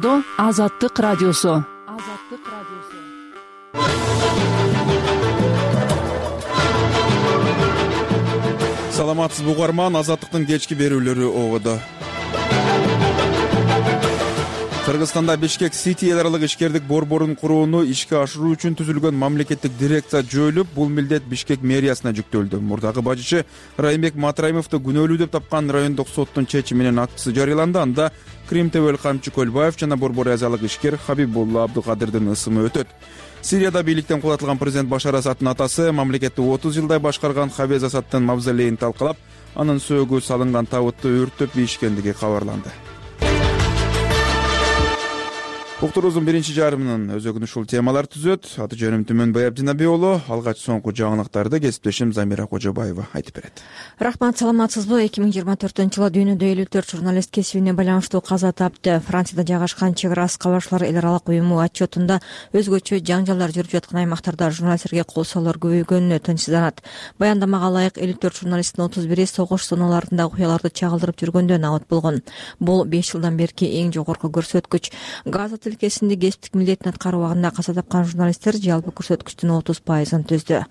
Ободо Азаттык радиосу. Саламатсызбы угарман, Азаттыктын кечки берүүлөрү Ободо. Кыргызстанда Бишкек Сити эл аралык ишкердик борборун курууну ишке ашыруу үчүн түзүлгөн мамлекеттик дирекция жойулуп, бул милдет Бишкек мэриясына жүктөлдү. Мурдагы бажычы Райымбек Матраимовду күнөөлүү деп тапкан райондук соттун чечиминин актысы жарыяланды. Анда Крим Тебел Камчы Көлбаев жана борбор азиялык ишкер Хабибулла Абдыкадырдын ысымы өтөт. Сирияда бийликтен кулатылган президент Башар Асадтын атасы мамлекетти 30 жылдай башкарган Хавез Асадтын мавзолейин талкалап, анын сөөгү салынган табытты өрттөп ийишкендиги кабарланды. Уктуруубуздун биринчи жарымынын өзөгүн ушул темалар түзөт. Аты жөнүм Түмөнбай Абдинабий уулу. Алгач соңку жаңылыктарды кесиптешим Замира Кожобаева айтып берет. Рахмат, саламатсызбы? 2024-жылы дүйнөдө 54 журналист кесибине байланыштуу каза тапты. Францияда жайгашкан чек ара кабарчылар эл аралык уюму отчетунда өзгөчө жаңжалдар жүрүп жаткан аймактарда журналисттерге кол салуулар көбөйгөнүнө тынчсызданат. Баяндамага ылайык 54 журналисттин 31-и согуш зоналарында окуяларды чагылдырып жүргөндө набат болгон. Бул 5 жылдан берки эң жогорку көрсөткүч. Газа тилкесинде кесиптик милдетин аткаруу убагында каза тапкан журналисттер жалпы көрсөткүчтүн 30%-ын түздү.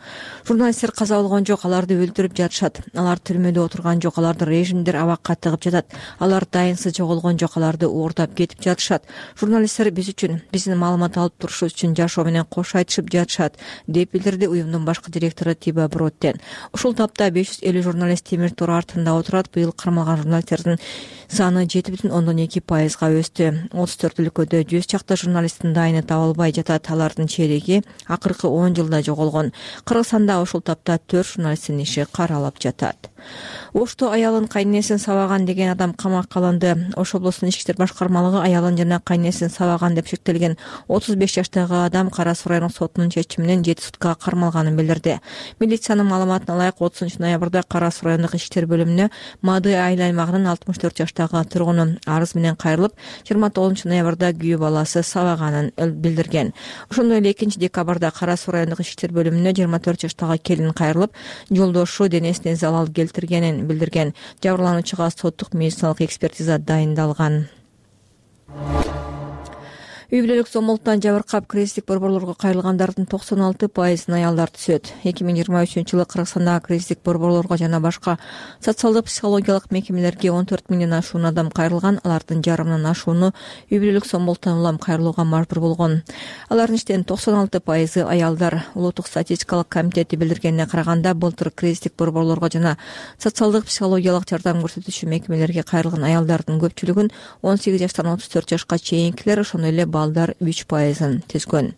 Журналисттер каза болгон жок, аларды өлтүрүп жатышат. Алар түрмөдө отурган жок, аларды режимдер абакка тыгып жатат. Алар дайынсыз жоголгон жок, аларды уурдап кетип жатышат. Журналисттер биз үчүн, биздин маалымат алып турушубуз үчүн жашоо менен кош айтышып жатышат, деп билдирди уюмдун башкы директору Тиба Броттен. Ушул тапта 550 журналист темир тор артында отурат. Быйыл кармалган журналисттердин саны 7,2%-га өстү. 34 өлкөдө 100 чакта журналисттин дайыны табылбай жатат. Алардын чейреги акыркы 10 жылда жоголгон. Кыргызстанда ушул тапта 4 журналисттин иши каралып жатат. Ошто аялын кайненесин сабаган деген адам камакка алынды. Ош облусунун ички иштер башкармалыгы аялын жана кайненесин сабаган деп шектелген 35 жаштагы адам Кара Суу райондук сотунун чечиминен 7 суткага кармалганын билдирди. Милициянын маалыматына ылайык 30 ноябрда Кара Суу райондук ички иштер бөлүмүнө Мады айыл аймагынын 64 жаштагы тургуну арыз менен кайрылып, 29 ноябрда күйөө баласы сабаганын билдирген. Ошондой эле 2 декабрда Кара Суу райондук ички иштер бөлүмүнө 24 жаштагы келин кайрылып, жолдошу денесине залал келтиргенин билдирген. Жабырлануучуга соттук медициналык экспертиза дайындалган. Үй бүлөлүк зомбулуктан жабыркап кризистик борборлорго кайрылгандардын 96%-ын аялдар түзөт. 2023-жылы Кыргызстандагы кризистик борборлорго жана башка социалдык психологиялык мекемелерге 14 миңден ашуун адам кайрылган. Алардын жарымынан ашууну үй бүлөлүк зомбулуктан улам кайрылууга мажбур болгон. Алардын иштен 96%-ы аялдар. Улуттук статистикалык комитети билдиргенине караганда, былтыр кризистик борборлорго жана социалдык психологиялык жардам көрсөтүүчү мекемелерге кайрылган аялдардын көпчүлүгүн 18 жаштан 34 жашка чейинкилер, ошондой эле балдар 3%-ын түзгөн.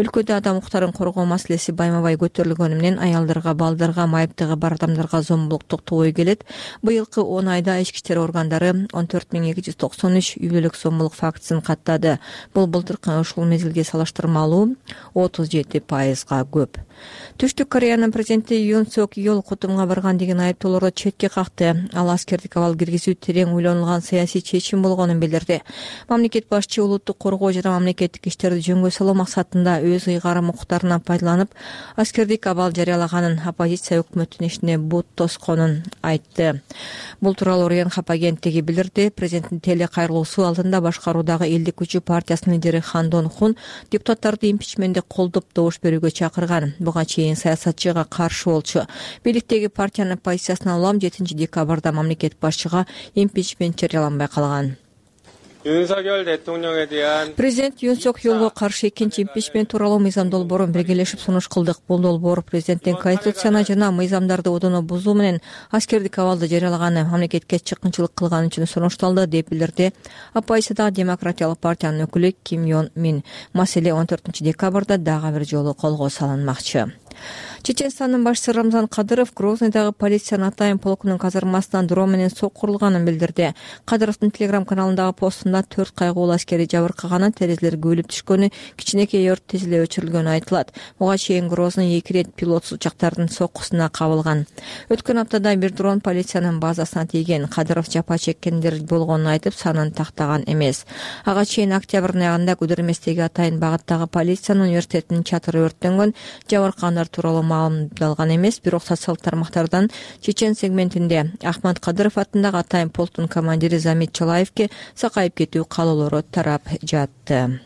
Өлкөдө адам укуктарын коргоо маселеси байма-бай көтөрүлгөнү менен аялдарга, балдарга, майыптыгы бар адамдарга зомбулук токтобой келет. Быйылкы 10 айда ички иштер органдары 14293 үй бүлөлүк зомбулук фактысын каттады. Бул былтыркы ушул мезгилге салыштырмалуу 37%-га көп. Түштүк Кореянын президенти Юн Сок Йол Кутумга барган деген айыптоолорду четке какты. Ал аскердик абал киргизүү терең ойлонулган саясий чечим болгонун билдирди. Мамлекет башчы улуттук коргоо жана мамлекеттик иштерди жөнгө салуу максатында өз ыйгарым укуктарынан пайдаланып, аскердик абал жарыялаганын, оппозиция өкмөттүн ишине бут тосконун айтты. Бул тууралуу Ренхап агенттиги билдирди. Президенттин телекайрылуусу алдында башкаруудагы Элдик күчү партиясынын лидери Хан Дон Хун депутаттарды импичментти колдоп добуш берүүгө чакырган. Буга чейин саясатчыга каршы болчу. Бийликтеги партиянын позициясына улам 7 декабрда мамлекет башчыга импичмент жарыяланбай калган. Президент Юн Сок Йолго каршы экинчи импичмент тууралуу мыйзам долбоорун биргелешип сунуш кылдык. Бул долбоор президенттин конституцияны жана мыйзамдарды одоно бузуу менен аскердик абалды жарыялаганы, мамлекетке чыккынчылык кылганы үчүн сунушталды, деп билдирди оппозициядагы Демократиялык партиянын өкүлү Ким Ён Мин. Маселе 14 декабрда дагы бир жолу колго салынмакчы. Чеченстандын башчысы Рамзан Кадыров Грознойдагы полициянын Атайын полкунун казармасынан дрон менен сок курулганын билдирди. Кадыровдун телеграм каналындагы постунда 4 кайгылуу аскери жабыркаганы, терезелер көөлүп түшкөнү, кичинекей өрт тез эле өчүрүлгөнү айтылат. Буга чейин Грозный 2 ирет пилотсуз учактардын соккусуна кабылган. Өткөн аптада бир дрон полициянын базасына тийген. Кадыров жапа чеккендер болгонун айтып, санын тактаган эмес. Ага чейин октябрдын аягында Гудерместеги Атайын багыттагы полициянын университетинин чатыры өрттөнгөн. Жабыркагандар тууралуу маалымдалган эмес, бирок социалдык тармактардан Чечен сегментинде Ахмат Кадыров атындагы атайын полктун командири Замит Чалаевке сакайып кетүү каалоолору тарап жатты.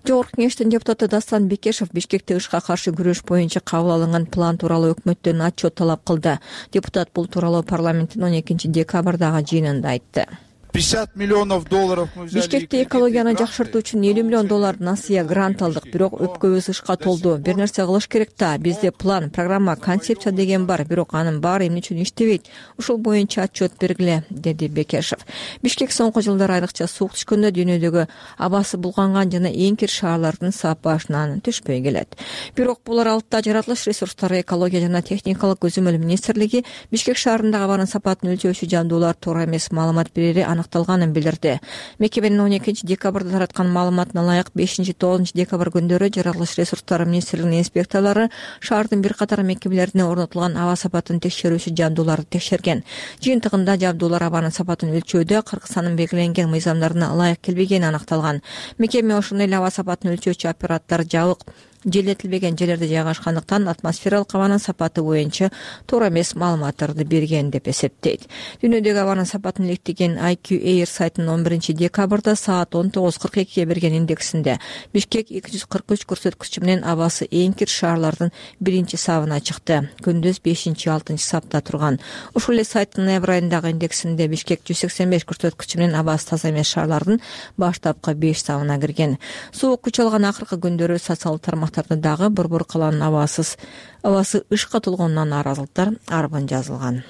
Жогорку кеңештин депутаты Дастан Бекешев Бишкекте ышка каршы күрөш боюнча кабыл алынган план тууралуу өкмөттөн отчет талап кылды. Депутат бул тууралуу парламенттин 12-декабрдагы жыйынында айтты. $50 миллионов мы взяли. Бишкекте экологияны жакшыртуу үчүн $50 миллион насыя грант алдык, бирок өпкөбүз ышка толду. Бир нерсе кылыш керек да. Бизде план, программа, концепция деген бар, бирок анын баары эмне үчүн иштебейт? Ушул боюнча отчет бергиле, деди Бекешев. Бишкек соңку жылдары айрыкча суук түшкөндө дүйнөдөгү абасы булганган жана эң кир шаарлардын сапашынан түшпөй келет. Бирок бул аралыкта жаратылыш ресурстары, экология жана техникалык көзөмөл министрлиги Бишкек шаарындагы абанын сапатын өлчөөчү жабдуулар туура эмес маалымат берери аныкталганын билдирди. Мекеменин 12-декабрда тараткан маалыматына ылайык 5-9 декабрь күндөрү жаратылыш ресурстары министрлигинин инспекторлору шаардын бир катар мекемелерине орнотулган аба сапатын текшерүүчү жабдууларды текшерген. Жыйынтыгында жабдуулар абанын сапатын өлчөөдө Кыргызстандын белгиленген мыйзамдарына ылайык келбегени аныкталган. Мекеме ошондой эле аба сапатын өлчөөчү аппараттар жабык, желетилбеген жерлерде жайгашкандыктан атмосфералык абанын сапаты боюнча туура эмес маалыматтарды берген деп эсептейт. Дүйнөдөгү абанын сапатын иликтеген IQ Air сайтынын 11-декабрда саат 19:42 берген индексинде Бишкек 243 көрсөткүчү менен абасы эң кир шаарлардын биринчи сабына чыкты. Күндүз 5-6 сапта турган. Ушул эле сайттын ноябрь айындагы индексинде Бишкек 185 көрсөткүчү менен абасы таза эмес шаарлардын баштапкы 5 сабына кирген. Суук күч алган акыркы күндөрү социалдык тармактарда дагы борбор калаанын абасы ышка толгонунан нааразылыктар арбын жазылган.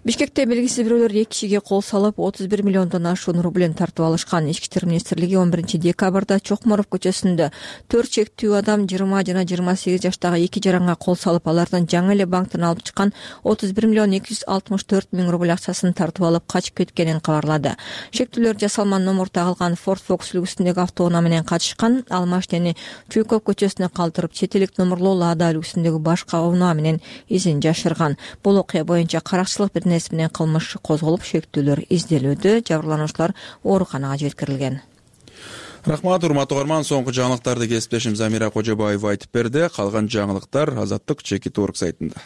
Бишкекте белгисиз бирөөлөр 2 кишиге кол салып 31 миллиондон ашуун рублен тартып алышкан. Ички иштер министрлиги 11-декабрда Чокморов көчөсүндө 4 чектүү адам 20 жана 28 жаштагы 2 жаранга кол салып, алардан жаңы эле банктан алып чыккан 31 миллион 264 миң рубль акчасын тартып алып качып кеткенин кабарлады. Шектүүлөр жасалман номер тагылган Ford Focus үлгүсүндөгү автоунаа менен качышкан. Ал машинени Чуйков көчөсүнө калтырып, чет элдик номерлуу Лада үлгүсүндөгү башка унаа менен изин жашырган. Бул окуя боюнча каракчылык менен кылмыш козголуп, шектүүлөр изделүүдө. Жабырлануучулар ооруканага жеткирилген. Рахмат, урматтуу угарман. Соңку жаңылыктарды кесиптешим Замира Кожобаева айтып берди. Калган жаңылыктар Азаттык Чекит Орг сайтында.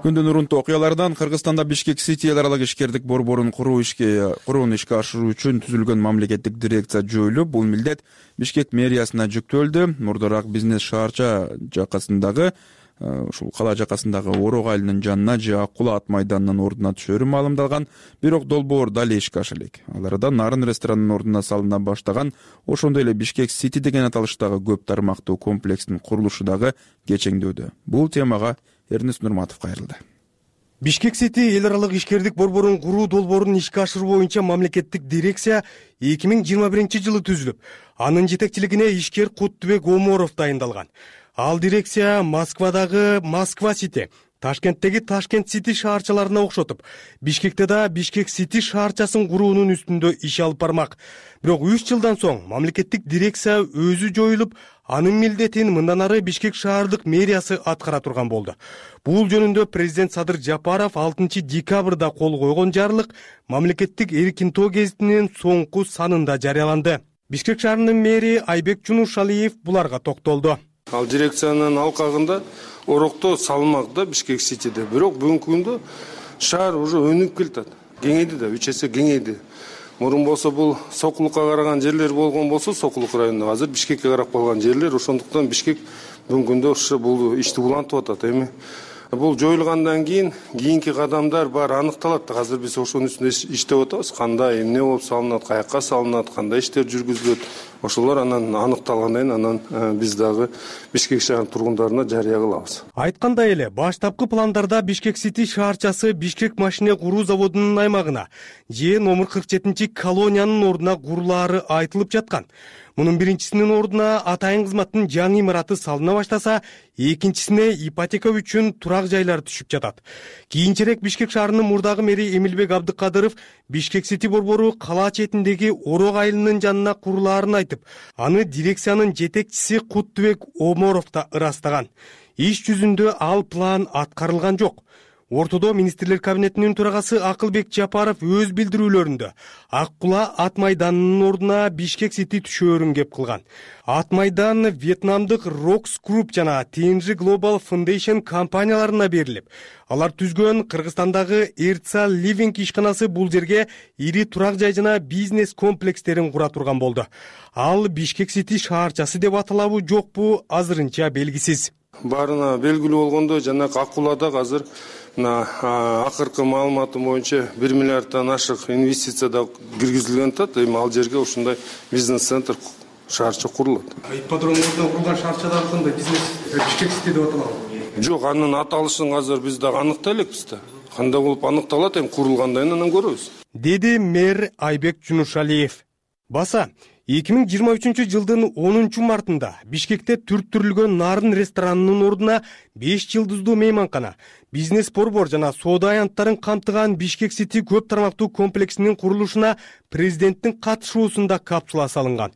Күндүн урунтуу окуялардан Кыргызстанда Бишкек Сити эл аралык ишкердик борборун курууну ишке ашыруу үчүн түзүлгөн мамлекеттик дирекция жоюлуп, бул милдет Бишкек мэриясына жүктөлдү. Мурдараак бизнес шаарча жакасындагы ушул кала жакасындагы Орок айылынын жанына же Ак Кула ат майданынын ордуна түшөрү маалымдалган, бирок долбоор дали ишке аша элек. Ал арада Нарын ресторанынын ордуна салына баштаган, ошондой эле Бишкек Сити деген аталыштагы көп тармактуу комплекстин курулушу дагы кечеңдөөдө. Бул темага Эрнест Нурматов кайрылды. Бишкек Сити эл аралык ишкердик борборун куруу долбоорун ишке ашыруу боюнча мамлекеттик дирекция 2021-жылы түзүлүп, анын жетекчилигине ишкер Куттубек Оморов дайындалган. Ал дирекция Москвадагы Москва Сити, Ташкенттеги Ташкент Сити шаарчаларына окшотуп, Бишкекте да Бишкек Сити шаарчасын куруунун үстүндө иш алып бармак. Бирок 3 жылдан соң мамлекеттик дирекция өзү жоюлуп, анын милдетин мындан ары Бишкек шаардык мэриясы аткара турган болду. Бул жөнүндө президент Садыр Жапаров 6-декабрда кол койгон жарлык мамлекеттик эркин тоо гезитинин соңку санында жарыяланды. Бишкек шаарынын мэри Айбек Чунушалиев буларга токтолду. Ал дирекциянын алкагында Орокто салмакта Бишкек Ситиде. Бирок бүгүнкү күндө шаар уже өнүгүп келатат. Кеңейди да, 3 эсе кеңейди. Мурун болсо бул Сокулукка караган жерлер болгон болсо, Сокулук районунда азыр Бишкекке карап калган жерлер, ошондуктан Бишкек бүгүнкү күндө ушу бул ишти улантып атат эми. Бул жоюлгандан кийинки кадамдар баары аныкталат. Азыр биз ошонун үстүндө иштеп атабыз. Кандай, эмне болуп салынат, каякка салынат, кандай иштер жүргүзүлөт. Ошолор анан аныкталгандан кийин анан биз дагы Бишкек шаарынын тургундарына жарыя кылабыз. Айткандай эле, баштапкы пландарда Бишкек Сити шаарчасы Бишкек машина куруу заводунун аймагына же номер 47 колониянын ордуна курулаары айтылып жаткан. Мунун биринчисинин ордуна атайын кызматтын жаңы имараты салына баштаса, экинчисине ипотека үчүн турак жайлар түшүп жатат. Кийинчерээк Бишкек шаарынын мурдагы мэри Эмилбек Абдыкадыров Бишкек Сити борбору кала четиндеги Орок айылынын жанына курулаарын айтып, аны дирекциянын жетекчиси Куттубек Оморов да ырастаган. Иш жүзүндө ал план аткарылган жок. Ортодо министрлер кабинетинин төрагасы Акылбек Жапаров өз билдирүүлөрүндө Ак Кула Ат майданынын ордуна Бишкек Сити түшөөрүн кеп кылган. Ат майдан Вьетнамдык Rocks Group жана TNG Global Foundation компанияларына берилип, алар түзгөн Кыргызстандагы Эрца Living ишканасы бул жерге ири турак жай жана бизнес комплекстерин кура турган болду. Ал Бишкек Сити шаарчасы деп аталабы жокпу азырынча белгисиз. Баарына белгилүү болгондой, жанагы Ак Кулада азыр акыркы маалыматым боюнча 1 миллиарддан ашык инвестиция да киргизилген атат. Эми ал жерге ушундай бизнес-центр шаарча курулат. Ипподромдон курулган шаарчадагы кандай бизнес Бишкек Сити деп аталабы? Жок, анын аталышын азыр биз дагы аныктай элекпиз да. Кандай болуп аныкталат, эми курулгандан кийин анан көрөбүз. Деди мэр Айбек Жунушалиев. Баса 2023 жылдын 10 мартында Бишкекте түрттүрүлгөн Нарын ресторанынын ордуна 5 жылдыздуу мейманкана, бизнес борбор жана соода аянттарын камтыган Бишкек Сити көп тармактуу комплексинин курулушуна президенттин катышуусунда капсула салынган.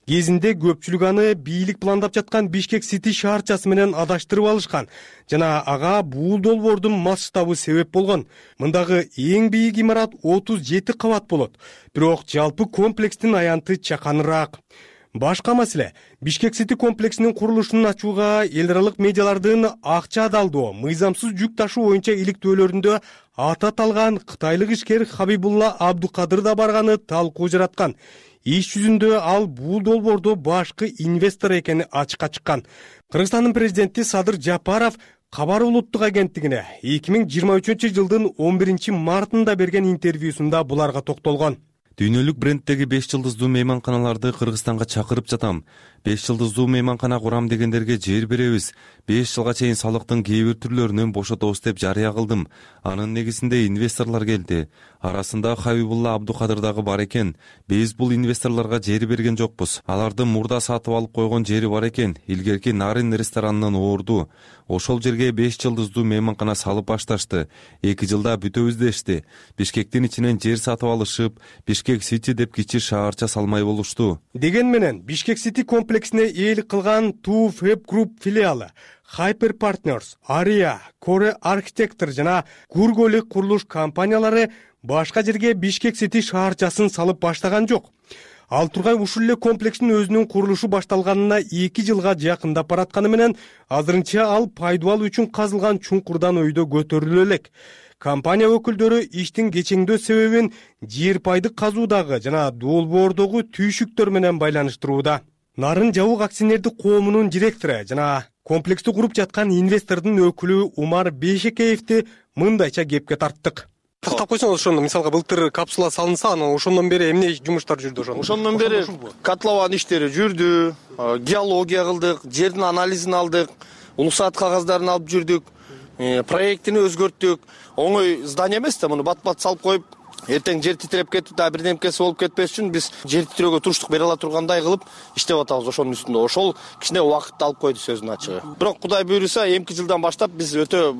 Кезинде көпчүлүк аны бийлик пландап жаткан Бишкек Сити шаарчасы менен адаштырып алышкан жана ага бул долбоордун масштабы себеп болгон. Мындагы эң бийик имарат 37 кабат болот, бирок жалпы комплекстин аянты чаканыраак. Башка маселе, Бишкек Сити комплексинин курулушун ачууга эл аралык медиалардын акча адалдоо, мыйзамсыз жүк ташуу боюнча иликтөөлөрүндө аты аталган кытайлык ишкер Хабибулла Абдукадыр да барганы талкуу жараткан. Иш жүзүндө ал бул долбоордо башкы инвестор экени ачыкка чыккан. Кыргызстандын президенти Садыр Жапаров Кабар улуттук агенттигине 2023 жылдын 11 мартында берген интервьюсунда буларга токтолгон. Дүйнөлүк бренддеги 5 жылдыздуу мейманканаларды Кыргызстанга чакырып жатам. 5 жылдыздуу мейманкана курам дегендерге жер беребиз. 5 жылга чейин салыктын кээ бир түрлөрүнөн бошотобуз деп жарыя кылдым. Анын негизинде инвесторлор келди. Арасында Хабибулла Абдукадыр дагы бар экен. Биз бул инвесторлорго жер берген жокпуз. Алардын мурда сатып алып койгон жери бар экен. Илгерки Нарын ресторанынын орду. Ошол жерге 5 жылдыздуу мейманкана салып башташты. 2 жылда бүтөбүз дешти. Бишкектин ичинен жер сатып алышып, Бишкек Сити деп кичи шаарча салмай болушту. Деген менен Бишкек Сити комплексине ээлик кылган Two Fab Group филиалы, Hyper Partners, Aria, Core Architecture жана Gurgoli курулуш компаниялары башка жерге Бишкек Сити шаарчасын салып баштаган жок. Ал тургай ушул эле комплекстин өзүнүн курулушу башталганына 2 жылга жакындап баратканы менен азырынча ал пайдубал үчүн казылган чуңкурдан өйдө көтөрүлө элек. Компания өкүлдөрү иштин кечеңдөө себебин жер пайдык казуудагы жана долбоордогу түйшүктөр менен байланыштырууда. Нарын жабык акционердик коомунун директору жана комплексти куруп жаткан инвестордун өкүлү Умар Бейшекеевди мындайча кепке тарттык. Тактап койсоңуз, ошондо мисалга былтыр капсула салынса, анан ошондон бери эмне жумуштар жүрдү ошондо? Ошондон бери котлован иштери жүрдү, геология кылдык, жердин анализин алдык, улуксаат кагаздарын алып жүрдүк, проектини өзгөрттүк. Оңой здание эмес да, муну бат-бат салып коюп, эртең жер титиреп кетип да бирдемкеси болуп кетпеш үчүн биз жер титирөөгө туруштук бере ала тургандай кылып иштеп атабыз ошонун үстүндө. Ошол кичине убакытты алып койду сөздүн ачыгы. Бирок Кудай буйруса, эмки жылдан баштап биз өтө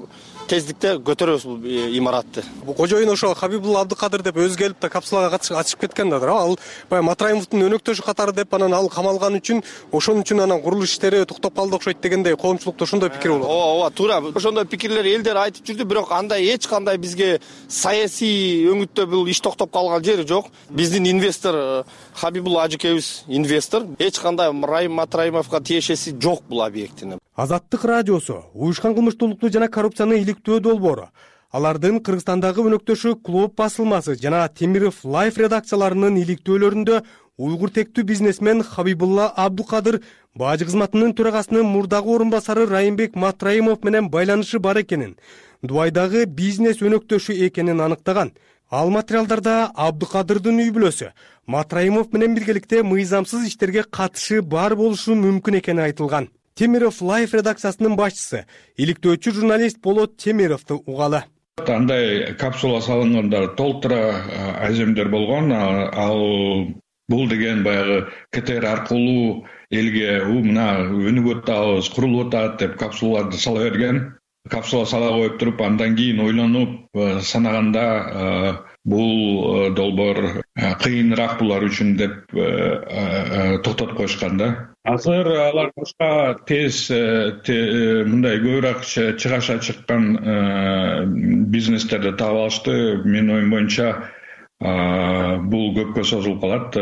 тездикте көтөрөбүз бул имаратты. Бул кожоюн ошо Хабибулла Абдукадыр деп өзү келип да капсулага ачып кеткен да. Ал баягы Матраимовдун өнөктөшү катары деп анан ал камалган үчүн, ошон үчүн анан курулуш иштери токтоп калды окшойт дегендей коомчулукта ошондой пикир болот. Ооба, туура. Ошондой пикирлер элдер айтып жүрдү, бирок андай эч кандай бизге саясий өңүттө бул иш токтоп калган жери жок. Биздин инвестор Хабибулла ажыкебиз инвестор. Эч кандай Райым Матраимовго тиешеси жок бул объектинин. Азаттык радиосу уюшкан кылмыштуулукту жана коррупцияны иликтөө долбоору, алардын Кыргызстандагы өнөктөшү Клуб басылмасы жана Темиров Life редакцияларынын иликтөөлөрүндө уйгур тектүү бизнесмен Хабибулла Абдукадыр бажы кызматынын төрагасынын мурдагы орун басары Райымбек Матраимов менен байланышы бар экенин, Дубайдагы бизнес өнөктөшү экенин аныктаган. Ал материалдарда Абдукадырдын үй бүлөсү Матраимов менен биргеликте мыйзамсыз иштерге катышы бар болушу мүмкүн экени айтылган. Темиров Life редакциясынын башчысы, иликтөөчү журналист Болот Темировду угалы. Андай капсула салынганда толтура аземдер болгон. Ал бул деген баягы КТР аркылуу элге мына өнүгүп атабыз, курулуп атат деп капсулаларды сала берген. Капсула сала коюп туруп, андан кийин ойлонуп санаганда бул долбоор кыйыныраак булар үчүн деп токтотуп коюшкан да. азыр алар башка тез мындай көбүрөөк чыгаша чыккан бизнестерди таап алышты. Менин оюм боюнча бул көпкө созулуп калат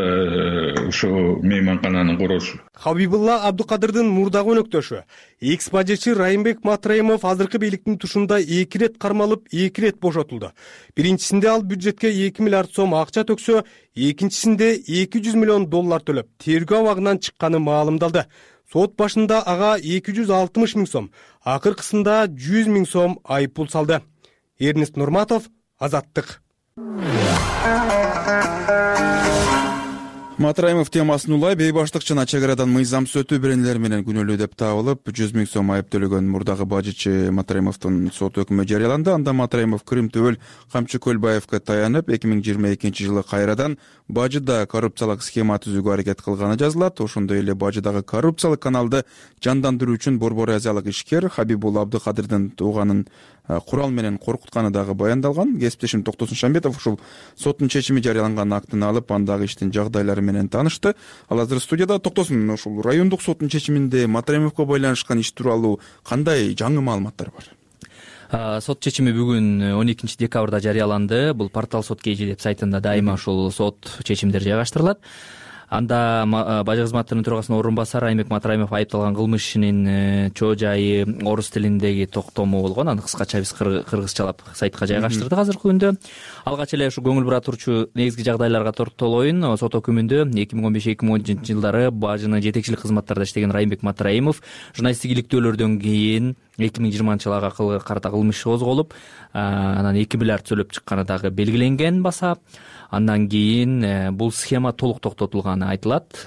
ушу мейманкананын курулушу. Хабибулла Абдукадырдын мурдагы өнөктөшү экс бажычы Райымбек Матраимов азыркы бийликтин тушунда 2 рет кармалып, 2 рет бошотулду. Биринчисинде ал бюджетке 2 миллиард сом акча төксө, экинчисинде 200 миллион доллар төлөп, тергөө абагынан чыкканы маалымдалды. Сот башында ага 260 миң сом, акыркысында 100 миң сом айыппул салды. Эрнест Нурматов, Азаттык. Матраимов темасын улай бейбаштык жана чек арадан мыйзам сөтүү беренелери менен күнөөлүү деп табылып 100 миң сом айып төлөгөн мурдагы бажычы Матраимовдун сот өкүмү жарыяланды. Анда Матраимов Крим Төбөл Камчы Көлбаевге таянып 2022 жылы кайрадан бажыда коррупциялык схема түзүүгө аракет кылганы жазылат. Ошондой эле бажыдагы коррупциялык каналды жандандыруу үчүн Борбор Азиялык ишкер Хабибул Абдыкадырдын тууганын курал менен коркутканы дагы баяндалган. Кесиптешим Токтосун Шамбетов ушул соттун чечими жарыяланган актын алып, андагы иштин жагдайлары менен таанышты. Ал азыр студияда. Токтосун, ушул райондук соттун чечиминде Матраимовго байланышкан иш тууралуу кандай жаңы маалыматтар бар? Сот чечими бүгүн 12 декабрда жарыяланды. Бул портал Сот KG деп сайтында дайыма ушул сот чечимдери жайгаштырылат. Анда бажы кызматтарынын төрагасынын орун басары Райымбек Матраимов айыпталган кылмыш ишинин чоо жайы орус тилиндеги токтому болгон. Аны кыскача биз кыргызчалап сайтка жайгаштырдык азыркы күндө. Алгач эле ушу көңүл бура турчу негизги жагдайларга токтолоюн. Сот өкүмүндө 2015-2016 жылдары бажынын жетекчилик кызматтарында иштеген Райымбек Матраимов журналисттик иликтөөлөрдөн кийин 2020 жылы ага карата кылмыш козголуп, анан 2 миллиард төлөп чыкканы дагы белгиленген баса. Андан кийин бул схема толук токтотулганы айтылат.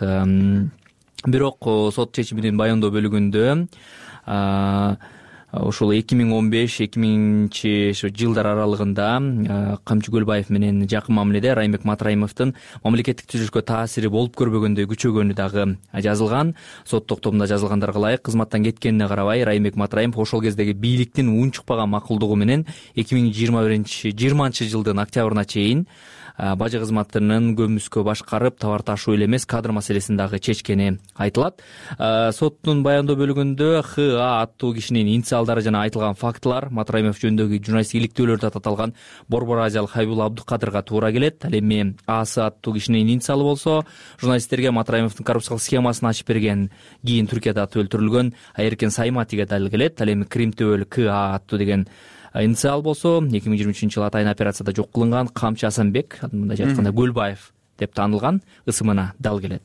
Бирок сот чечиминин баяндоо бөлүгүндө ушул 2015-2000 жылдар аралыгында Камчы Көлбаев менен жакын мамиледе Райымбек Матраимовдун мамлекеттик түзүлүшкө таасири болуп көрбөгөндөй күчөгөнү дагы жазылган. Сот токтомунда жазылгандарга ылайык, кызматтан кеткенине карабай Райымбек Матраимов ошол кездеги бийликтин унчукпаган макулдугу менен 2020 жылдын октябрына чейин бажы кызматынын көмүскө башкарып, товар ташуу эле эмес, кадр маселесин дагы чечкени айтылат. Соттун баяндоо бөлүгүндө ХА аттуу кишинин инициалдары жана айтылган фактылар Матраимов жөнүндөгү журналисттик иликтөөлөрдө таталган Борбор Азиялык Хабибул Абдыкадырга туура келет. Ал эми асы аттуу кишинин инициалы болсо, журналисттерге Матраимовдун коррупциялык схемасын ачып берген, кийин Түркияда аты өлтүрүлгөн Айеркен Сайматиге дал келет. Ал эми Крим Төбөл КА аттуу деген инициал болсо, 2023 жылы атайын операцияда жок кылынган Камчы Асанбек, мындайча айтканда Көлбаев деп таанылган ысымына дал келет.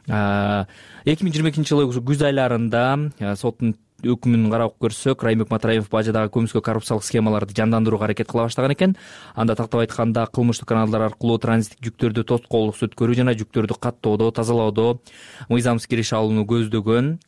2022 жылы күз айларында соттун өкүмүн карап көрсөк, Райымбек Матраимов бажыдагы көмүскө коррупциялык схемаларды жандандырууга аракет кыла баштаган экен. Анда тактап айтканда кылмыштык каналдар аркылуу транзиттик жүктөрдү тоскоолдук өткөрүү жана жүктөрдү каттоодо, тазалоодо мыйзамсыз кириш алууну көздөгөн.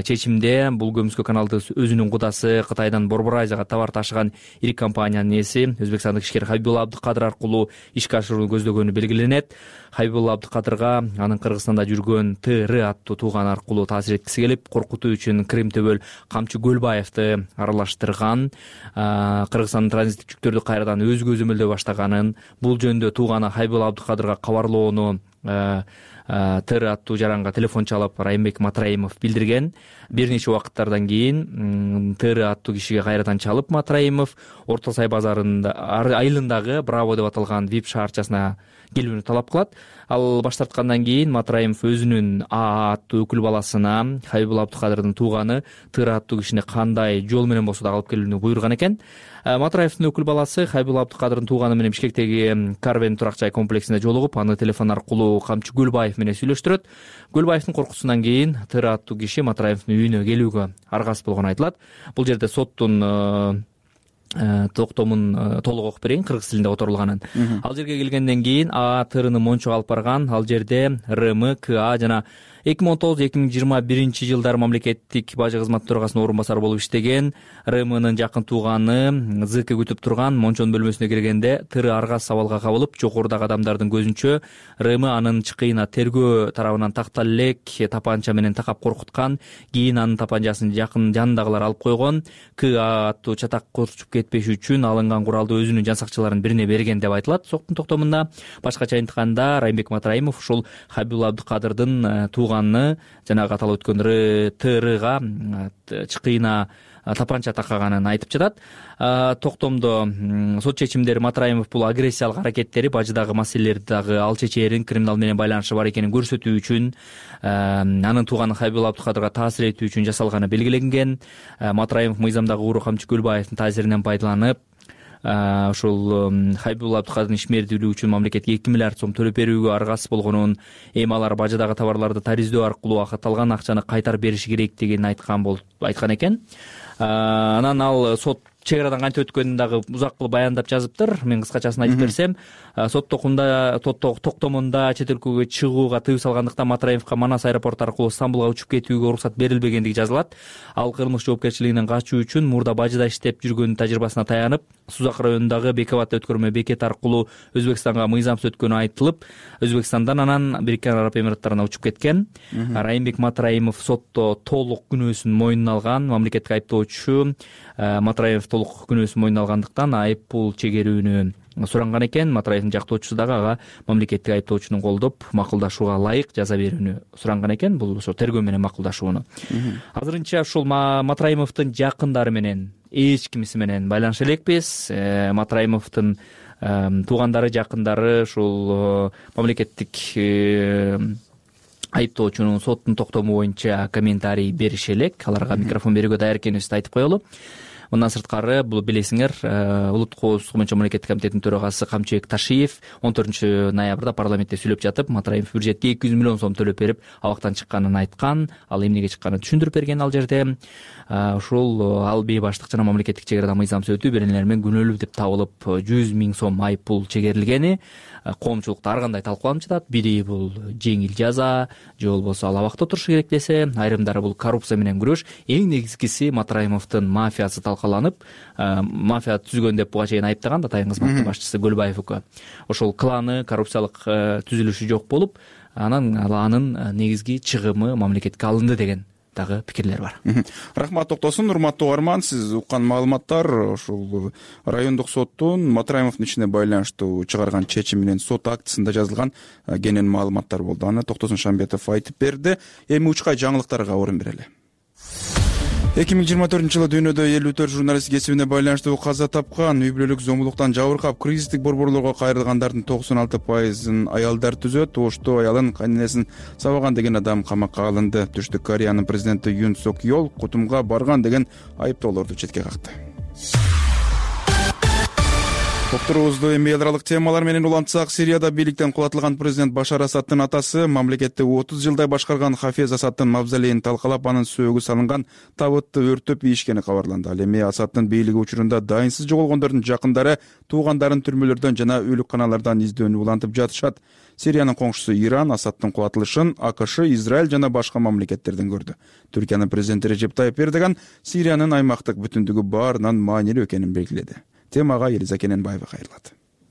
Чечимде бул көмүскө каналды өзүнүн кудасы Кытайдан Борбор Азияга товар ташыган ири компаниянын ээси өзбекстандык ишкер Хабибул Абдыкадыр аркылуу ишке ашырууну көздөгөнү белгиленет. Хабибул Абдыкадырга анын Кыргызстанда жүргөн ТР аттуу тууганы аркылуу таасир эткиси келип, коркутуу үчүн Крим Төбөл Камчы Көлбаевди аралаштырган. Кыргызстандын транзиттик жүктөрдү кайрадан өзүгө өзөмөлдөй баштаганын, бул жөнүндө тууганы Хабибул Абдыкадырга кабарлоону ТР аттуу жаранга телефон чалып Райымбек Матраимов билдирген. Бир нече убакыттардан кийин ТР аттуу кишиге кайрадан чалып Матраимов Орто Сай базарында айылындагы Браво деп аталган VIP шаарчасына келүүнү талап кылат. Ал баш тарткандан кийин Матраимов өзүнүн АА аттуу өкүл баласына Хабибул Абдыкадырдын тууганы ТР аттуу кишини кандай жол менен болсо да алып келүүнү буйруган экен. Матраевдин өкүл баласы Хабибул Абдыкадырдын тууганы менен Бишкектеги Карвен турак жай комплексинде жолугуп, аны телефон аркылуу Камчы Көлбаев менен сүйлөштүрөт. Көлбаевдин коркусунан кийин ТР аттуу киши Матраевдин үйүнө келүүгө аргасыз болгону айтылат. Бул жерде соттун токтомун толук окуп берейин, кыргыз тилинде которулганын. Ал жерге келгенден кийин АА ТРны мончого алып барган. Ал жерде РМ, КА жана 2019-2021 жылдары мамлекеттик бажы кызматы төрагасынын орун басары болуп иштеген РМнын жакын тууганы ЗК күтүп турган мончонун бөлмөсүнө киргенде ТР аргасыз абалга кабылып, жогорудагы адамдардын көзүнчө РМ анын чыкыйына тергөө тарабынан тактал элек тапанча менен такап коркуткан. Кийин анын тапанчасын жанындагылар алып койгон. КА аттуу чатак корчуп кетпеш үчүн алынган куралды өзүнүн жан сакчыларынын бирине берген деп айтылат соттун токтомунда. Башкача айтканда Райымбек Матраимов ушул Хабибул Абдыкадырдын тууганны жанагы аталып өткөн РТРга чкыйна тапанча такаганын айтып жатат. Токтомдо сот чечимдери Матраимов бул агрессиялык аракеттери бажыдагы маселелерди дагы ал чечээрин криминал менен байланышы бар экенин көрсөтүү үчүн, анын тууганы Хайбул Абдыкадырга таасир этүү үчүн жасалганы белгиленген. Матраимов мыйзамдагы Уру камчы Көлбаевдин таасиринен пайдаланып ушул Хайбул Абдыкадырдын ишмердүүлүгү үчүн мамлекетке 2 миллиард сом төлөп берүүгө аргасыз болгонун, эми алар бажыдагы товарларды тариздөө аркылуу акытталган акчаны кайтарып бериши керектигин айткан экен. Анан ал сот чек арадан кантип өткөнүн дагы узак кылып баяндап жазыптыр. Мен кыскачасын айтып берсем, сот токтомунда чет өлкөгө чыгууга тыюу салгандыктан Матраимовго Манас аэропорту аркылуу Стамбулга учуп кетүүгө уруксат берилбегендиги жазылат. Ал кылмыш жоопкерчилигинен качуу үчүн мурда бажыда иштеп жүргөн тажрыйбасына таянып, Сузак районундагы Бекебатта өткөрмө бекет аркылуу Өзбекстанга мыйзамсыз өткөнү айтылып, Өзбекстандан анан Бириккен Араб Эмираттарына учуп кеткен. Райымбек Матраимов сотто толук күнөөсүн мойнуна алган. Мамлекеттик айыптоочу Матраимов толук күнөөсүн мойнуна алгандыктан айып пул чегерүүнү суранган экен. Матраевдин жактоочусу дагы ага мамлекеттик айыптоочуну колдоп макулдашууга ылайык жаза берүүнү суранган экен. Бул ошо тергөө менен макулдашууну. Азырынча ушул Матраимовдун жакындары менен эч кимиси менен байланыша элекпиз. Матраимовдун туугандары, жакындары ушул мамлекеттик айыптоочунун соттун токтому боюнча комментарий бериши элек. Аларга микрофон берүүгө даяр экенибизди айтып коелу. Мындан сырткары, бул билесиңер, Улуттук коопсуздук боюнча мамлекеттик комитеттин төрагасы Камчыбек Ташиев 14-ноябрда парламентте сүйлөп жатып, Матраимов бюджетке 200 миллион сом төлөп берип, абактан чыкканын айткан. Ал эмнеге чыкканын түшүндүрүп берген ал жерде. Ушул ал бейбаштык жана мамлекеттик чек арада мыйзамсыз өтүү беренелер менен күнөөлүү деп табылып 100 миң сом айып пул чегерилгени коомчулукта ар кандай талкууланып жатат. Бири бул жеңил жаза, же болбосо ал абакта турушу керек десе, айрымдары бул коррупция менен күрөш. Эң негизгиси Матраимовдун мафиясы талкаланып, мафия түзгөн деп буга чейин айыптаган Атайын кызматтын башчысы Көлбаев УК. Ошол кланы, коррупциялык түзүлүшү жок болуп, анын негизги чыгымы мамлекетке алынды деген дагы пикирлер бар. Рахмат Токтосун. Урматтуу угарман, сиз уккан маалыматтар ушул райондук соттун Матраимовдун ишине байланыштуу чыгарган чечим менен сот актысында жазылган кенен маалыматтар болду. Аны Токтосун Шамбетов айтып берди. Эми учкай жаңылыктарга орун берели. 2024-жылы дүйнөдө 54 журналист кесибине байланыштуу каза тапкан. Үй бүлөлүк зомбулуктан жабыркап, кризистик борборлорго кайрылгандардын 96% аялдар түзөт. Ошто аялын, кайненесин сабаган деген адам камакка алынды. Түштүк Кореянын президенти Юн Сок Йол кутумга барган деген айыптоолорду четке какты. Докторубузду эми эл аралык темалар менен улантсак, Сирияда бийликтен кулатылган президент Башар Асаддын атасы мамлекетти 30 жылдай башкарган Хафез Асаддын мавзолейин талкалап, анын сөөгү салынган табытты өртөп ийишкени кабарланды. Ал эми Асаддын бийлиги учурунда дайынсыз жоголгондордун жакындары туугандарын түрмөлөрдөн жана өлүкканалардан издөөнү улантып жатышат. Сириянын коңшусу Иран Асаддын кулатылышын АКШ, Израиль жана башка мамлекеттерден көрдү. Түркиянын президенти Режеп Тайып Эрдоган Сириянын аймактык бүтүндүгү баарынан маанилүү экенин белгиледи. Темага Элиза Кененбаева кайрылат.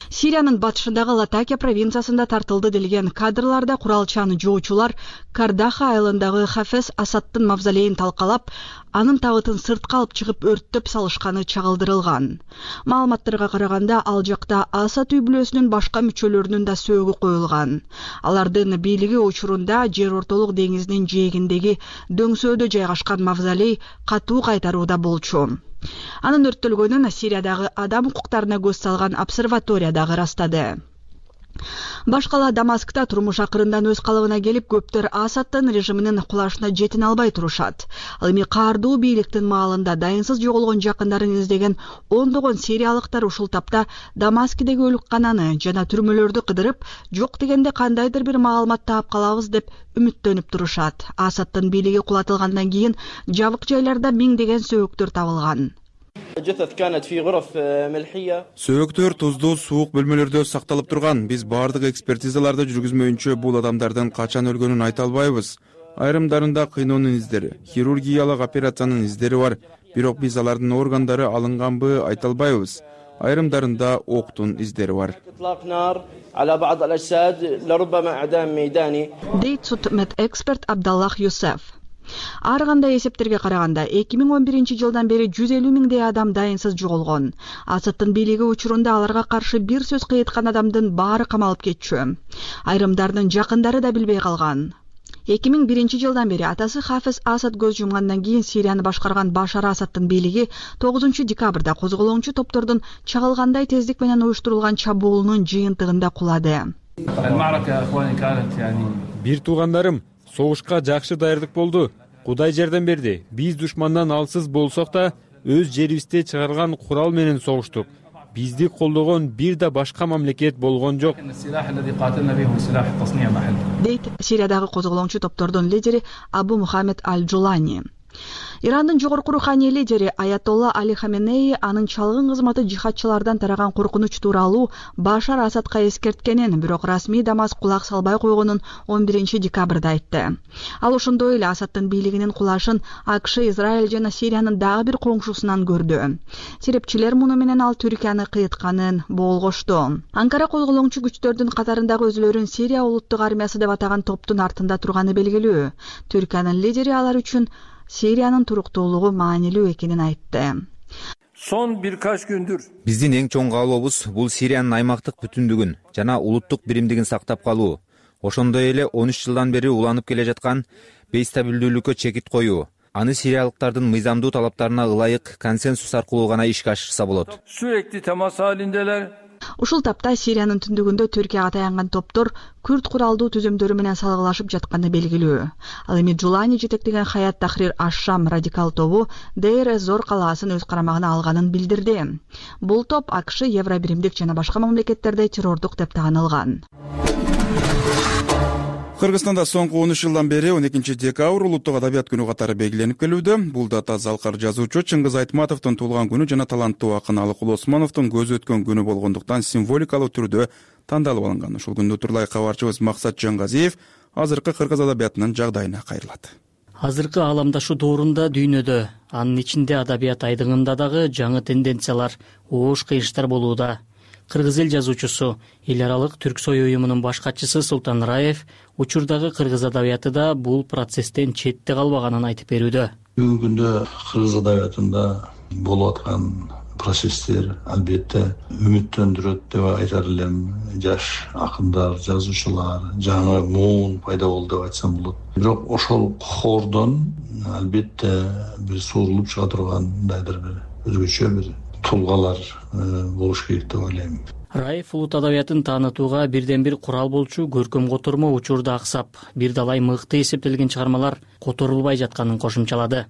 Сириянын батышындагы Латакия провинциясында тартылды делген кадрларда куралчан жоочулар Кардаха айылындагы Хафез Асаддын мавзолейин талкалап, анын табытын сыртка алып чыгып өрттөп салышканы чагылдырылган. Маалыматтарга караганда, ал жакта Асад үй бүлөсүнүн башка мүчөлөрүнүн да сөөгү коюлган. Алардын бийлиги учурунда Жер ортолук деңизинин жээгиндеги дөңсөөдө жайгашкан мавзолей катуу кайтарууда болчу. Анын өрттөлгөнүн Сириядагы адам укуктарына көз салган обсерватория дагы ырастады. Башкала Дамаскта турмуш акырындан өз калыбына келип, көптөр Асаддын режиминин кулашына жетине албай турушат. Ал эми каардуу бийликтин маалында дайынсыз жоголгон жакындарын издеген ондогон сириялыктар ушул тапта Дамаскидеги өлүккананы жана түрмөлөрдү кыдырып, жок дегенде кандайдыр бир маалымат таап калабыз деп үмүттөнүп турушат. Асаддын бийлиги кулатылгандан кийин жабык жайларда миңдеген сөөгүктөр табылган. Сөөгүктөр туздуу, суук бөлмөлөрдө сакталып турган. Биз баардык экспертизаларды жүргүзмөйүнчө бул адамдардын качан өлгөнүн айта албайбыз. Айрымдарында кыйноонун издери, хирургиялык операциянын издери бар, бирок биз алардын органдары алынганбы айта албайбыз. Айрымдарында октун издери бар. Дейт судмедэксперт Абдаллах Юсеф. Ар кандай эсептерге караганда 2011-жылдан бери 150 миңдей адам дайынсыз жоголгон. Асаддын бийлиги учурунда аларга каршы бир сөз кыйыткан адамдын баары камалып кетчү. Айрымдардын жакындары да билбей калган. 2001-жылдан бери атасы Хафез Асад көз жумгандан кийин Сирияны башкарган Башар Асаддын бийлиги 9 декабрда козголоңчу топтордун чагылгандай тездик менен уюштурулган чабуулунун жыйынтыгында кулады. Бир туугандарым, согушка жакшы даярдык болду. Кудай жардам берди. Биз душмандан алсыз болсок да өз жерибизде чыгарган курал менен согуштук. Бизди колдогон бир да башка мамлекет болгон жок. Дейт Сириядагы козголоңчу топтордун лидери Абу Мухаммед Аль-Джулани. Ирандын жогорку руханий лидери Аятолла Али Хаменеи анын чалгын кызматы жихадчылардан тараган коркунуч тууралуу Башар Асадка эскерткенин, бирок расмий Дамаск кулак салбай койгонун 11 декабрда айтты. Ал ошондой эле Асаддын бийлигинин кулашын АКШ, Израиль жана Сириянын дагы бир коңшусунан көрдү. Серепчилер муну менен ал Түркияны кыйытканын болгошту. Анкара козголоңчу күчтөрдүн катарындагы өзүлөрүн Сирия улуттук армиясы деп атаган топтун артында турганы белгилүү. Түркиянын лидери алар үчүн Сириянын туруктуулугу маанилүү экенин айтты. Son birkaç gündür биздин эң чоң каалообуз бул Сириянын аймактык бүтүндүгүн жана улуттук биримдигин сактап калуу. Ошондой эле 13 жылдан бери уланып келе жаткан бейстабилдүүлүккө чекит коюу. Аны сириялыктардын мыйзамдуу талаптарына ылайык консенсус аркылуу гана ишке ашырса болот. Sürekli temas halindeler. Ушул тапта Сириянын түндүгүндө Түркияга таянган топтор күрд куралдуу түзүмдөрү менен салгылашып жатканы белгилүү. Ал эми Джулани жетектеген Хаят Тахрир Аш-Шам радикал тобу Дейр-эз-Зор калаасын өз карамагына алганын билдирди. Бул топ АКШ, Евробиримдик жана башка мамлекеттерде террордук деп таанылган. Кыргызстанда соңку 13 жылдан бери 12 декабрь улуттук адабият күнү катары белгиленип келүүдө. Бул дата залкар жазуучу Чыңгыз Айтматовдун туулган күнү жана таланттуу акын Алыкул Осмоновдун көзү өткөн күнү болгондуктан символикалуу түрдө тандалып алынган. Ушул күндү турулай кабарчыбыз Максат Жангазиев азыркы кыргыз адабиятынын жагдайына кайрылат. Азыркы ааламдашу доорунда дүйнөдө, анын ичинде адабият айдыгында дагы жаңы тенденциялар, оош кыйыштар болууда. Кыргыз эл жазуучусу, эл аралык Түрксой уюмунун баш катчысы Султан Раев учурдагы кыргыз адабияты да бул процесстен четте калбаганын айтып берүүдө. Бүгүнкү күндө кыргыз адабиятында болуп аткан процесстер албетте үмүттөндүрөт деп айтар элем. Жаш акындар, жазуучулар, жаңы муун пайда болду деп айтсам болот. Бирок ошол хордон албетте бир суурулуп чыга тургандайдыр бир өзгөчө бир тулгалар болуш керек деп ойлойм. Раев улут адабиятын таанытууга бирден бир курал болчу көркөм котормо учурда аксап, бир далай мыкты эсептелген чыгармалар которулбай жатканын кошумчалады.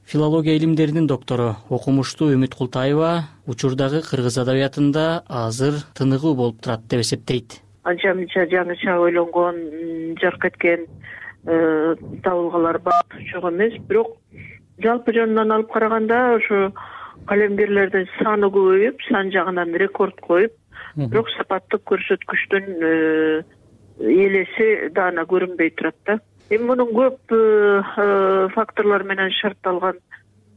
Филология илимдеринин доктору, окумуштуу Үмүт Култаева учурдагы кыргыз адабиятында азыр тыныгуу болуп турат деп эсептейт. Анча-мынча жаңыча ойлонгон, жарк эткен табылгалар бар, жок эмес, бирок жалпы жөнүнөн алып караганда ошо калемгерлердин саны көбөйүп, сан жагынан рекорд коюп, бирок сапаттык көрсөткүчтүн элеси даана көрүнбөй турат да. Эми мунун көп факторлор менен шартталган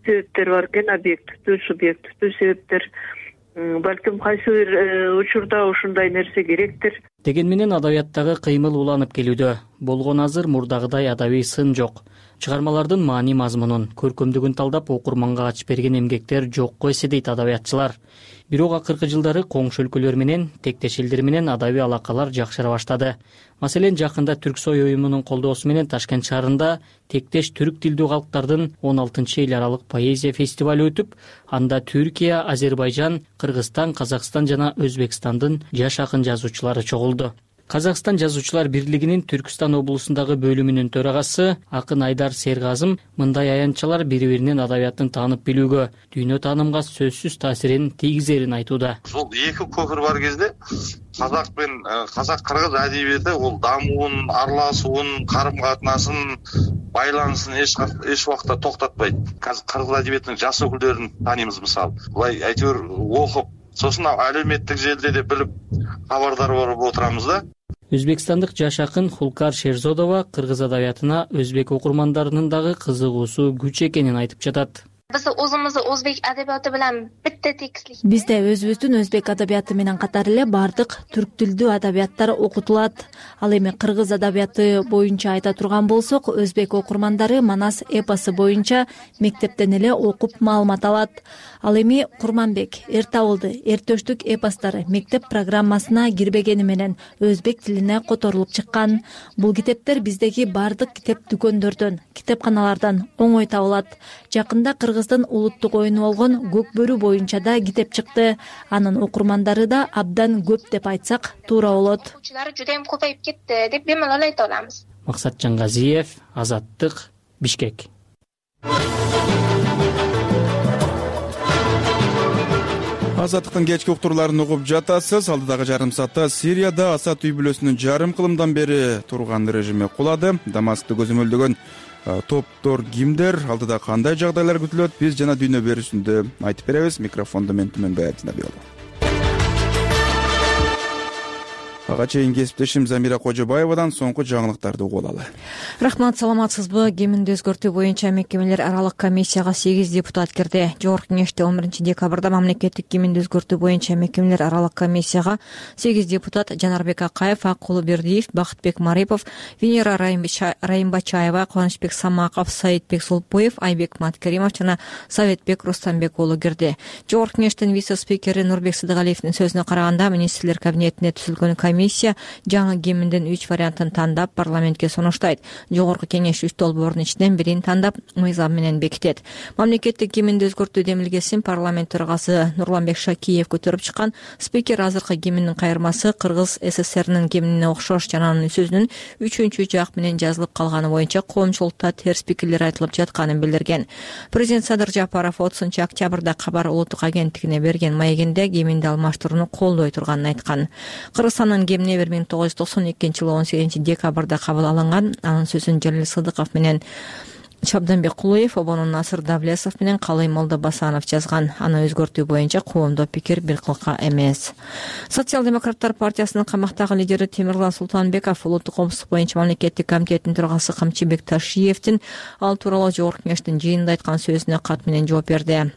себептер бар экен, объективдүү, субъективдүү себептер. Балким кайсы бир учурда ушундай нерсе керектир. Деген менен адабияттагы кыймыл уланып келүүдө. Болгон азыр мурдагыдай адабий сын жок. Чыгармалардын маани мазмунун, көркөмдүгүн талдап окурманга ачып берген эмгектер жокко эсе дейт адабиятчылар. Бирок акыркы жылдары коңшу өлкөлөр менен, тектеш элдер менен адабий алакалар жакшыра баштады. Маселен, жакында Түрксой уюмунун колдоосу менен Ташкент шаарында тектеш түрк тилдүү калктардын 16-эл аралык поэзия фестивалю өтүп, анда Түркия, Азербайжан, Кыргызстан, Казакстан жана Өзбекстандын жаш акын жазуучулары чогулду. Казакстан жазуучулар бирлигинин Түркстан облусундагы бөлүмүнүн төрагасы акын Айдар Сергазым мындай аянтчалар бири-биринин адабиятын таанып билүүгө, дүйнө таанымга сөзсүз таасирин тийгизерин айтууда. Бул эки көпүр бар кезде казак менен казак-кыргыз адебияты ол дамуун, аралашуун, карым-катнасын, байланысын эч убакта токтотпойт. Кыргыз адебиятынын жаш өкүлдөрүн тааныйбыз мисалы. Булай айтыр окуп, сосын әлеуметтик желиде де билип кабардар болуп отурабыз да. Өзбекстандык жаш акын Хулкар Шерзодова кыргыз адабиятына өзбек окурмандарынын дагы кызыгуусу күч экенин айтып жатат. Биз өзүмүздү өзбек адабияты менен битте текстlik. Бизде өзүбүздүн өзбек адабияты менен катар эле бардык түрк тилдүү адабияттар окутулат. Ал эми кыргыз адабияты боюнча айта турган болсок, өзбек окурмандары Манас эпосу боюнча мектептен эле окуп маалымат алат. Ал эми Курманбек, Эртабылды, Эртөштүк эпостары мектеп программасына кирбегени менен өзбек тилине которулуп чыккан. Бул китептер биздеги бардык китеп дүкөндөрдөн, китепканалардан оңой табылат. Жакында Кыргыздын улуттук оюну болгон Көк бөрү боюнча да китеп чыкты. Анын окурмандары да абдан көп деп айтсак туура болот. Окуучулар жудайым көбөйүп кетти деп бемалал айта алабыз. Максат Жангазиев, Азаттык, Бишкек. Азаттыктын кечки уктурларын угуп жатасыз. Алдыдагы жарым саатта Сирияда Асад үй бүлөсүнүн жарым кылымдан бери турган режими кулады. Дамаскты көзөмөлдөгөн топтор кимдер, алдыда кандай жагдайлар күтүлөт, биз жана дүйнө берүүсүндө айтып беребиз. Микрофондо мен Түмөнбай Абдинабиолу. Ага чейин кесиптешим Замира Кожобаевадан соңку жаңылыктарды угуп алалы. Рахмат, саламатсызбы? Кеминди өзгөртүү боюнча мекемелер аралык комиссияга 8 депутат кирди. Жогорку кеңеште 11 декабрда мамлекеттик кеминди өзгөртүү боюнча мекемелер аралык комиссияга 8 депутат Жанарбек Акаев, Акулу Бердиев, Бакытбек Марипов, Венера Райымбачаева, Кубанычбек Самаков, Саидбек Сулпуев, Айбек Маткеримов жана Советбек Рустамбек уулу кирди. Жогорку кеңештин вице-спикери Нурбек Сыдыгалиевдин сөзүнө караганда, министрлер кабинетине түзүлгөн комиссия жаңы кеминдин 3 вариантын тандап парламентке сунуштайт. Жогорку кеңеш 3 долбоордун ичинен бирин тандап мыйзам менен бекитет. Мамлекеттик кеминди өзгөртүү демилгесин парламент төрагасы Нурланбек Шакиев көтөрүп чыккан. Спикер азыркы кеминдин кайырмасы Кыргыз СССРнин кеминине окшош жана анын сөзүнүн 3-чү жак менен жазылып калганы боюнча коомчулукта терс пикирлер айтылып жатканын билдирген. Президент Садыр Жапаров 30 октябрда Кабар улуттук агенттигине берген маегинде кеминди алмаштырууну колдой турганын айткан. Кыргызстандын кемине 1992-жылы 18 декабрда кабыл алынган. Анын сөзүн Жалил Сыдыков менен Чабданбек Кулуев, Обонун Насыр Давлесов менен Калый Молдо Басанов жазган. Аны өзгөртүү боюнча коомдо пикир бир кылка эмес. Социал-демократтар партиясынын камактагы лидери Темирлан Султанбеков улуттук коомсуздук боюнча мамлекеттик комитеттин төрагасы Камчыбек Ташиевдин ал тууралуу жогорку кеңештин жыйынында айткан сөзүнө кат менен жооп берди.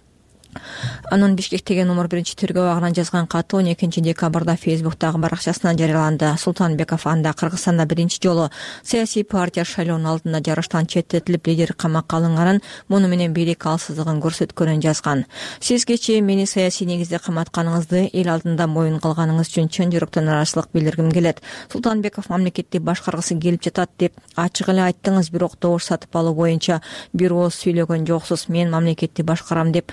Анын Бишкектеги номер 1-тергөө абагынан жазган каты 12 декабрда Фейсбуктагы баракчасына жарыяланды. Султанбеков анда Кыргызстанда биринчи жолу саясий партия шайлоонун алдында жарыштан четтетилип лидер камакка алынганын, муну менен бийлик алсыздыгын көрсөткөнүн жазган. Сиз кечээ мени саясий негизде каматканыңызды, эл алдында моюн кылганыңыз үчүн чын жүрөктөн ыраазычылык билдиргим келет. Султанбеков мамлекетти башкаргысы келип жатат деп ачык эле айттыңыз, бирок добуш сатып алуу боюнча бир ооз сүйлөгөн жоксуз. Мен мамлекетти башкарам деп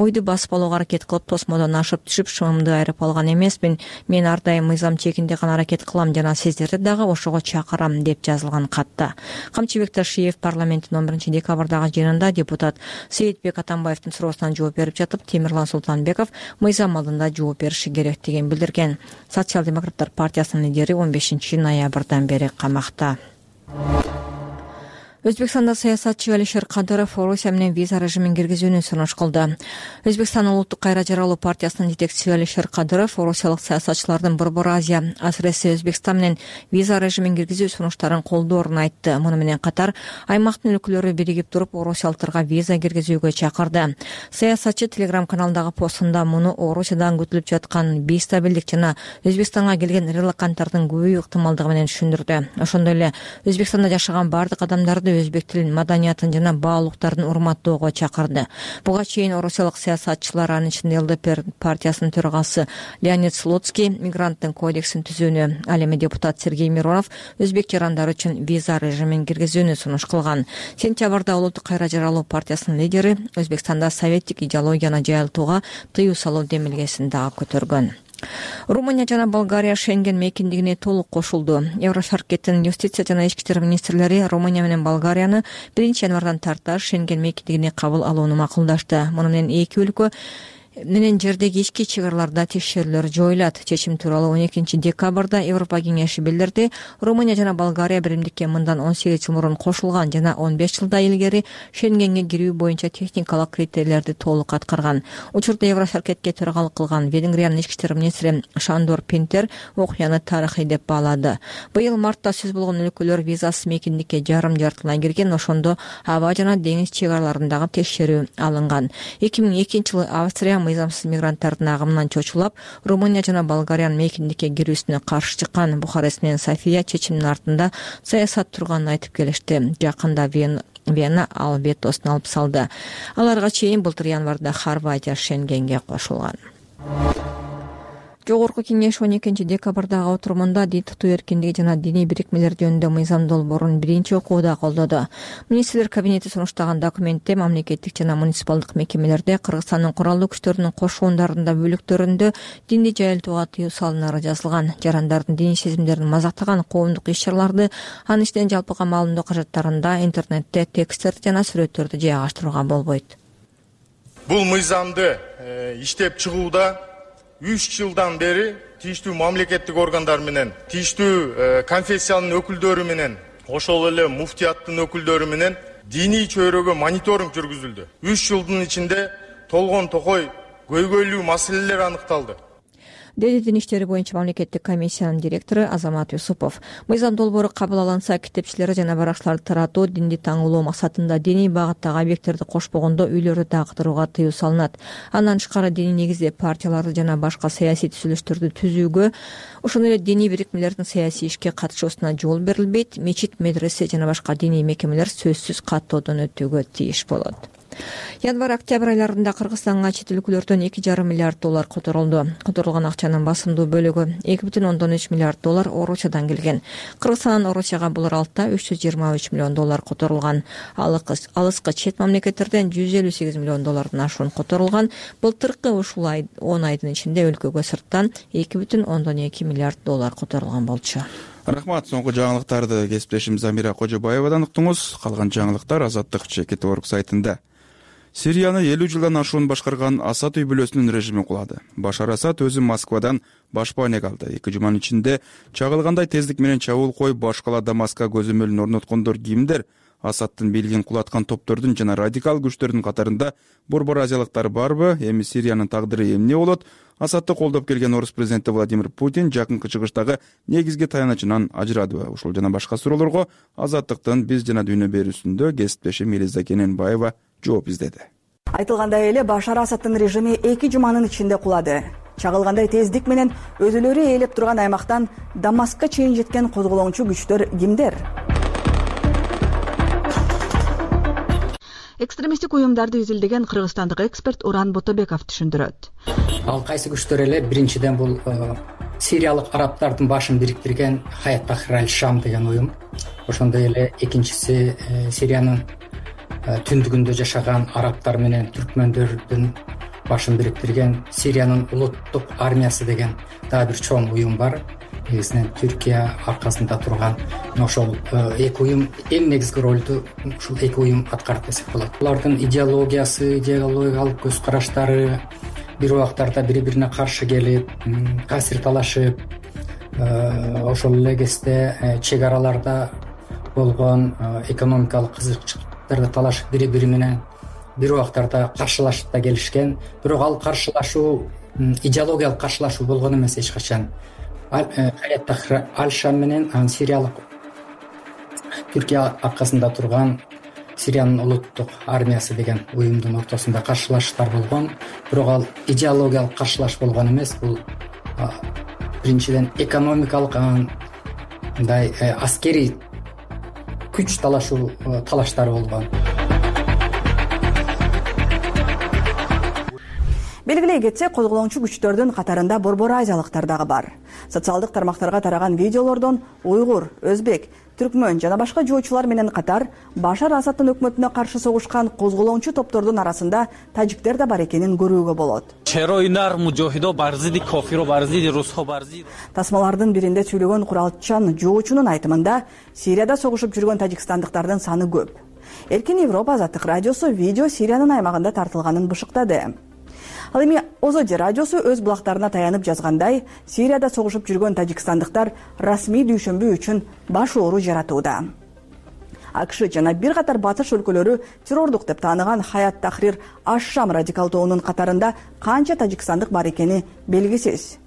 үйдү басып алууга аракет кылып, тосмодон ашып түшүп, шымымды айрып алган эмесмин. Мен ар дайым мыйзам чегинде гана аракет кылам жана сиздерди дагы ошого чакырам деп жазылган катта. Камчыбек Ташиев парламенттин 11 декабрдагы жыйынында депутат Сейитбек Атамбаевдин суроосуна жооп берип жатып, Темирлан Султанбеков мыйзам алдында жооп бериши керектигин билдирген. Социал-демократтар партиясынын лидери 15 ноябрдан бери камакта. Өзбекстанда саясатчы Алишер Кадыров Орусия менен виза режимин киргизүүнү сунуш кылды. Өзбекстан улуттук кайра жаралуу партиясынын жетекчиси Алишер Кадыров орусиялык саясатчылардын Борбор Азия, асыресе Өзбекстан менен виза режимин киргизүү сунуштарын колдоорун айтты. Муну менен катар аймактын өлкөлөрү биригип туруп орусиялыктарга виза киргизүүгө чакырды. Саясатчы Telegram каналдагы постунда муну Орусиядан күтүлүп жаткан бейстабилдик жана Өзбекстанга келген релаканттардын көбөйүү ыктымалдыгы менен түшүндүрдү. Ошондой эле Өзбекстанда жашаган бардык адамдарды өзбек тилин, маданиятын жана баалуулуктарын урматтоого чакырды. Буга чейин орусиялык саясатчылар, анын ичинде ЛДПР партиясынын төрагасы Леонид Слуцкий мигранттын кодексин түзүүнү, ал эми депутат Сергей Миронов өзбек жарандар үчүн виза режимин киргизүүнү сунуш кылган. Сентябрда улуттук кайра жаралуу партиясынын лидери Өзбекстанда советтик идеологияны жайылтууга тыюу салуу демилгесин дагы көтөргөн. Румыния жана Болгария Шенген мейкиндигине толук кошулду. Еврошаркеттин юстиция жана ички иштер министрлери Румыния менен Болгарияны 1 январдан тарта Шенген мейкиндигине кабыл алууну макулдашты. Муну менен эки өлкө менен жердеги ички чек араларда текшерүүлөр жоюлат. Чечим тууралуу 12 декабрда Европа кеңеши билдирди. Румыния жана Болгария биримдикке мындан 18 жыл мурун кошулган жана 15 жылда илгери Шенгенге кирүү боюнча техникалык критерийлерди толук аткарган. Учурда Еврошеркетке төрагалык кылган Венгриянын ички иштер министри Шандор Пинтер окуяны тарыхый деп баалады. Быйыл мартта сөз болгон өлкөлөр визасыз мейкиндикке жарым жартылай кирген, ошондо аба жана деңиз чек араларындагы текшерүү алынган. 2002 жылы Австрия мыйзамсыз мигранттардын агымынан чочулап, Румыния жана Болгариянын мейкиндикке кирүүсүнө каршы чыккан. Бухарест менен София чечимдин артында саясат турганын айтып келишти. Жакында Вена ал ветосун алып салды. Аларга чейин былтыр январда Хорватия Шенгенге кошулган. Жогорку кеңеш 12 декабрдагы отурумунда дин тутуу эркиндиги жана диний бирикмелер жөнүндө мыйзам долбоорун биринчи окууда колдоду. Министрлер кабинети сунуштаган документте мамлекеттик жана муниципалдык мекемелерде Кыргызстандын куралдуу күчтөрүнүн кошуундарында бөлүктөрүндө динди жайылтууга тыюу салынары жазылган. Жарандардын диний сезимдерин мазактаган коомдук иш-чараларды анын ичинен жалпыга маалымдоо кажаттарында, интернетте тексттерди жана сүрөттөрдү жайгаштырууга болбойт. Бул мыйзамды иштеп чыгууда 3 жылдан бери тийиштүү мамлекеттик органдар менен, тийиштүү конфессиянын өкүлдөрү менен, ошол эле муфтияттын өкүлдөрү менен диний чөйрөгө мониторинг жүргүзүлдү. 3 жылдын ичинде толгон токой көйгөйлүү маселелер аныкталды, деди дин иштери боюнча мамлекеттик комиссиянын директору Азамат Юсупов. Мыйзам долбоору кабыл алынса, китепчилерди жана баракчыларды таратуу, динди таңуулоо максатында диний багыттагы объекттерди кошпогондо үйлөрдү тактырууга тыюу салынат. Андан тышкары диний негизде партияларды жана башка саясий түзүлүштөрдү түзүүгө, ошондой эле диний бирикмелердин саясий ишке катышуусуна жол берилбейт. Мечит, медресе жана башка диний мекемелер сөзсүз каттоодон өтүүгө тийиш болот. Январь-октябрь айларында Кыргызстанга чет өлкөлөрдөн 2,5 миллиард доллар которулду. Которулган акчанын басымдуу бөлүгү 2,3 миллиард доллар Орусиядан келген. Кыргызстандан Орусияга бул аралыкта 323 миллион доллар которулган. Алыскы чет мамлекеттерден 158 миллион доллардан ашуун которулган. Былтыркы ушул 10 айдын ичинде өлкөгө сырттан 2,2 миллиард доллар которулган болчу. Рахмат. Соңку жаңылыктарды кесиптешим Замира Кожобаевадан уктуңуз. Калган жаңылыктар Азаттык ЧК.org сайтында. Сирияны 50 жылдан ашуун башкарган Асад үй бүлөсүнүн режими кулады. Башар Асад өзү Москвадан башпанеге алды. 2 жуманын ичинде чагылгандай тездик менен чабуул коюп башкала Дамаска көзөмөлүн орноткондор кимдер? Асадтын бийлигин кулаткан топтордун жана радикал күчтөрдүн катарында борбор азиялыктар барбы? Эми Сириянын тагдыры эмне болот? Асадты колдоп келген орус президенти Владимир Путин жакынкы чыгыштагы негизги таянычынан ажырадыбы? Ушул жана башка суроолорго Азаттыктын биз жана дүйнө берүүсүндө кесиптешим Элиза Кененбаева жооп издеди. Айтылгандай эле Башар Асадтын режими 2 жуманын ичинде кулады. Чагылгандай тездик менен өзүлөрү ээлеп турган аймактан Дамаскка чейин жеткен козголоңчу күчтөр кимдер? Экстремисттик уюмдарды изилдеген кыргызстандык эксперт Уран Ботобеков түшүндүрөт. Ал кайсы күчтөр эле? Биринчиден бул сириялык арабтардын башын бириктирген Хаят Тахрир аль-Шам деген уюм. Ошондой эле экинчиси Сириянын түндүгүндө жашаган арабтар менен түркмөндөрдүн башын бириктирген Сириянын улуттук армиясы деген дагы бир чоң уюм бар. Негизинен Түркия аркасында турган ошол эки уюм эң негизги ролду ушул эки уюм аткарат десек болот. Булардын идеологиясы, идеологиялык көз караштары бир убактарда бири бирине каршы келип, касир талашып, ошол эле кезде чек араларда болгон экономикалык кызыкчылыктарды талашып бири бири менен бир убактарда каршылашып да келишкен. Бирок ал каршылашуу идеологиялык каршылашуу болгон эмес эч качан. Хаят Тахрир аль-Шам менен сириялык Түркия аркасында турган Сириянын улуттук армиясы деген уюмдун ортосунда каршылашуулар болгон. Бирок ал идеологиялык каршылаш болгон эмес. Бул биринчиден экономикалык мындай аскерий күч талаштары болгон. Белгилей кетсек, козголоңчу күчтөрдүн катарында борбор азиялыктар дагы бар. Социалдык тармактарга тараган видеолордон уйгур, өзбек, түркмөн жана башка жоочулар менен катар Башар Асадтын өкмөтүнө каршы согушкан козголоңчу топтордун арасында тажиктер да бар экенин көрүүгө болот. Тасмалардын биринде сүйлөгөн куралчан жоочунун айтымында Сирияда согушуп жүргөн тажикстандыктардын саны көп. Эркин Европа Азаттык радиосу видео Сириянын аймагында тартылганын бышыктады. Ал эми Озоди радиосу өз булактарына таянып жазгандай, Сирияда согушуп жүргөн тажикстандыктар расмий дүйшөмбү үчүн баш оору жаратууда. АКШ жана бир катар батыш өлкөлөрү террордук деп тааныган Хаят Тахрир Аш-Шам радикал тобунун катарында канча тажикстандык бар экени белгисиз.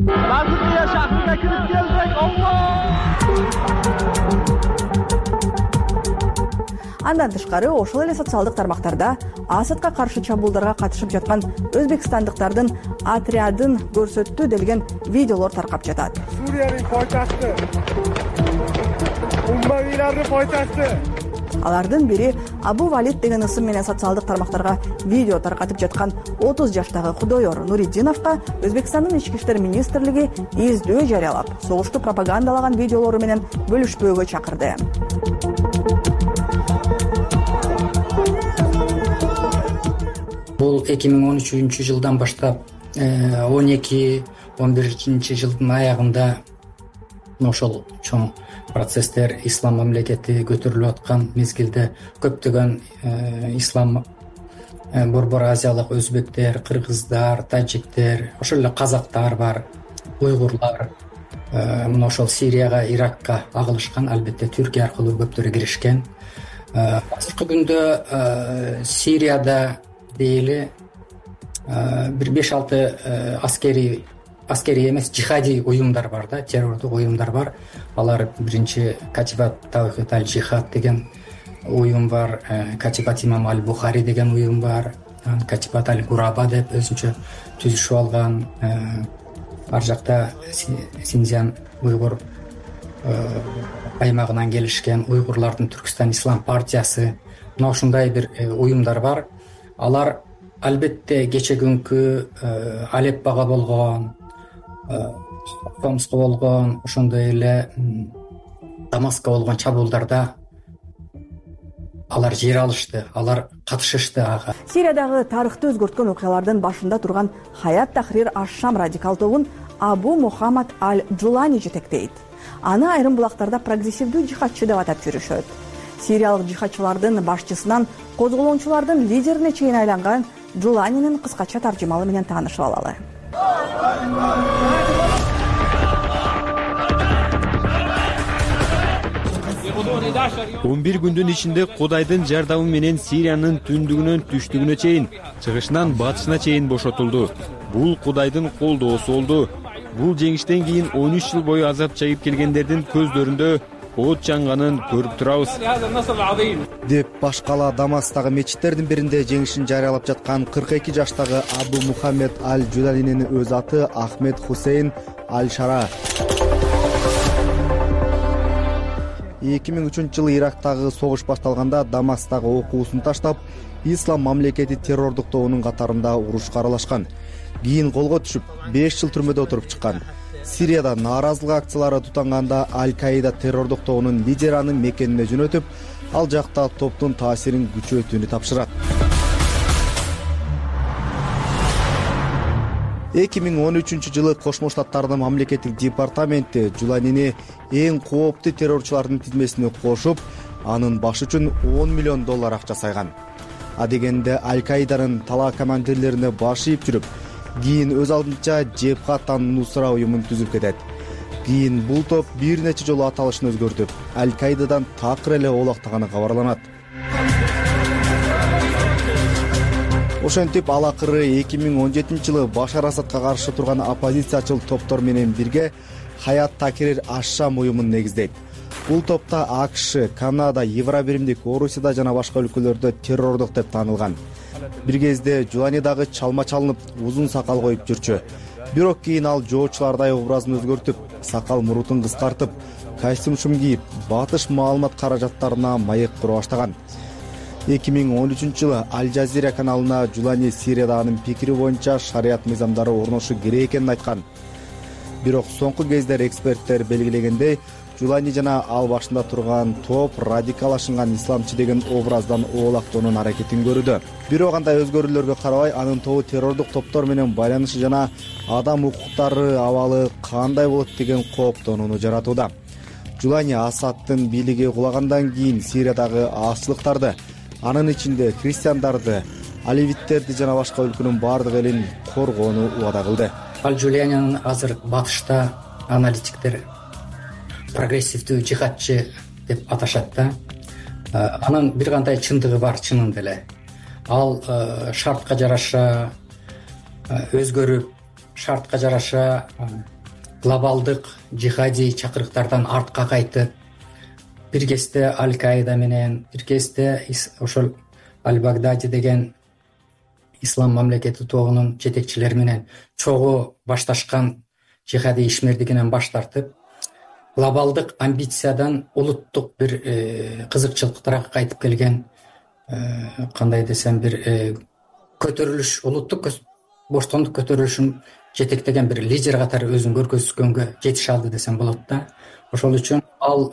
Андан тышкары ошол эле социалдык тармактарда Асадка каршы чабуулдарга катышып жаткан өзбекстандыктардын отрядын көрсөттү делген видеолор таркап жатат. Суриянын пойташты, уммавилардын пойташты. Алардын бири Абу Валид деген ысым менен социалдык тармактарга видео таркатып жаткан 30 жаштагы Кудойор Нуриддиновго Өзбекстандын ички иштер министрлиги издөө жарыялап, согушту пропагандалаган видеолору менен бөлүшпөөгө чакырды. Бул 2013 жылдан баштап 12-11 жылдын аягында ошол чоң процесстер ислам мамлекети көтөрүлүп аткан мезгилде көптөгөн ислам борбор азиялык өзбектер, кыргыздар, тажиктер, ошол эле казактар бар, уйгурлар мына ошол Сирияга, Иракка агылышкан, албетте Түркия аркылуу көптөрү киришкен. Азыркы күндө Сирияда дейли бир 5-6 аскерий эмес, жихади уюмдар бар да, террордук уюмдар бар. Алар биринчи Катибат Тавхид аль-Жихад деген уюм бар, Катибат Имам аль-Бухари деген уюм бар, Катибат аль-Гураба деп өзүнчө түзүшүп алган. Ар жакта Синьцзян уйгур аймагынан келишкен уйгурлардын Түркистан ислам партиясы, мына ушундай бир уюмдар бар. Алар албетте кече күнкү Алеппага болгон, Хомско болгон, ошондой эле Дамаска болгон чабуулдарда алар жер алышты, алар катышышты ага. Сириядагы тарыхты өзгөрткөн окуялардын башында турган Хаят Тахрир Аш-Шам радикал тобун Абу Мухаммад аль-Джулани жетектейт. Аны айрым булактарда прогрессивдүү жихадчы деп атап жүрүшөт. Сириялык жихадчылардын башчысынан козголоочулардын лидерине чейин айланган Джуланинин кыскача таржымалы менен таанышып алалы. 11 күндүн ичинде Кудайдын жардамы менен Сириянын түндүгүнөн түштүгүнө чейин, чыгышынан батышына чейин бошотулду. Бул Кудайдын колдоосу болду. Бул жеңиштен кийин 13 жыл бою азап чегип келгендердин көздөрүндө от жанганын көрүп турабыз деп башкала Дамастагы мечиттердин биринде жеңишин жарыялап жаткан 42 жаштагы Абу Мухаммед аль-Джуланинин өз аты Ахмед Хусейн аль-Шара. 2003-жылы Ирактагы согуш башталганда Дамастагы окуусун таштап, Ислам мамлекети террордук тобунун катарында урушка аралашкан. Кийин колго түшүп, 5 жыл түрмөдө отуруп чыккан. Сирияда нааразылык акциялары тутанганда Аль-Каида террордук тобунун лидери анын мекенине жөнөтүп, ал жакта топтун таасирин күчөтүүнү тапшырат. 2013-жылы Кошмо Штаттардын мамлекеттик департаменти Джуланини эң кооптуу террорчулардын тизмесине кошуп, анын башы үчүн $10 миллион акча сайган. А дегенде Аль-Каиданын талаа командирлерине баш ийип жүрүп, кийин өз алдынча Джебхат ан-Нусра уюмун түзүп кетет. Кийин бул топ бир нече жолу аталышын өзгөртүп, Аль-Каидадан такыр эле оолактаганы кабарланат. Ошентип ал акыры 2017-жылы Башар Асадка каршы турган оппозициячыл топтор менен бирге Хаят Тахрир Аш-Шам уюмун негиздейт. Бул топта АКШ, Канада, Евробиримдик, Орусияда жана башка өлкөлөрдө террордук деп таанылган. Бир кезде Джулани дагы чалма чалынып, узун сакал коюп жүрчү. Бирок кийин ал жоочулардай образын өзгөртүп, сакал мурутун кыскартып, костюм кийип, батыш маалымат каражаттарына маек кура баштаган. 2013-жылы Аль-Жазира каналына Джулани Сирияда анын пикири боюнча шарият мыйзамдары орношу керек экенин айткан. Бирок соңку кездер эксперттер белгилегендей, Джулани жана ал башында турган топ радикалашынган исламчы деген образдан оолактоонун аракетин көрүүдө. Бирок кандай өзгөрүүлөргө карабай, анын тобу террордук топтор менен байланышы жана адам укуктары абалы кандай болот деген кооптонууну жаратууда. Джулани Асадтын бийлиги кулагандан кийин Сириядагы азчылыктарды, анын ичинде христиандарды, алевиттерди жана башка өлкөнүн баардык элин коргоону убада кылды. Аль-Джулианин азыр батышта аналитиктер прогрессивдүү жихадчы деп аташат да. Анын бир кандай чындыгы бар, чынында эле. Ал шартка жараша өзгөрүп, шартка жараша глобалдык жихади чакырыктардан артка кайтып, бир кезде Аль-Каида менен, бир кезде ошол Аль-Багдади деген ислам мамлекети тобунун жетекчилери менен чогуу башташкан жихади ишмердигинен баш тартып, глобалдык амбициядан улуттук бир кызыкчылыктарга кайтып келген, кандай десем, бир көтөрүлүш, улуттук боштондук көтөрүлүшүн жетектеген бир лидер катары өзүн көргөзгөнгө жетише алды десем болот да. Ошол үчүн ал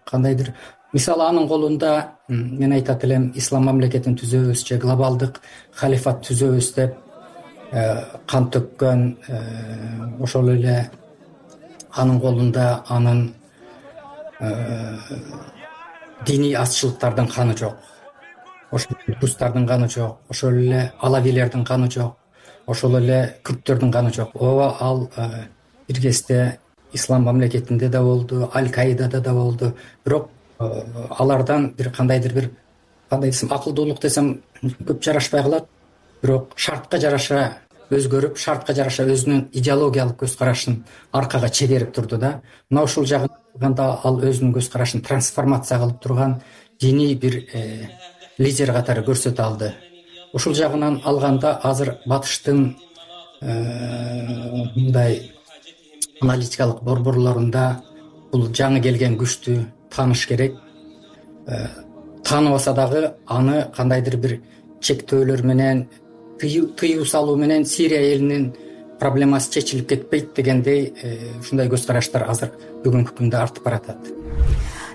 кандайдыр, мисалы анын колунда мен айтат элем, ислам мамлекетин түзөбүз же глобалдык халифат түзөбүз деп кан төккөн, ошол эле анын колунда анын диний азчылыктардын каны жок, ошол рустардын каны жок, ошол эле алавилердин каны жок, ошол эле күрттөрдүн каны жок. Ооба, ал бир кезде ислам мамлекетинде да болду, Аль-Каидада да болду. Бирок алардан бир кандайдыр бир, кандай десем, акылдуулук десем көп жарашпай калат. Бирок шартка жараша өзгөрүп, шартка жараша өзүнүн идеологиялык көз карашын аркага чегерип турду да. Мына ушул жагында ал өзүнүн көз карашын трансформация кылып турган диний бир лидер катары көрсөтө алды. Ушул жагынан алганда азыр батыштын мындай аналитикалык борборлорунда бул жаңы келген күчтү тааныш керек. Тааныбаса дагы аны кандайдыр бир чектөөлөр менен, тыюу салуу менен Сирия элинин проблемасы чечилип кетпейт дегендей ушундай көз караштар азыр бүгүнкү күндө артып баратат.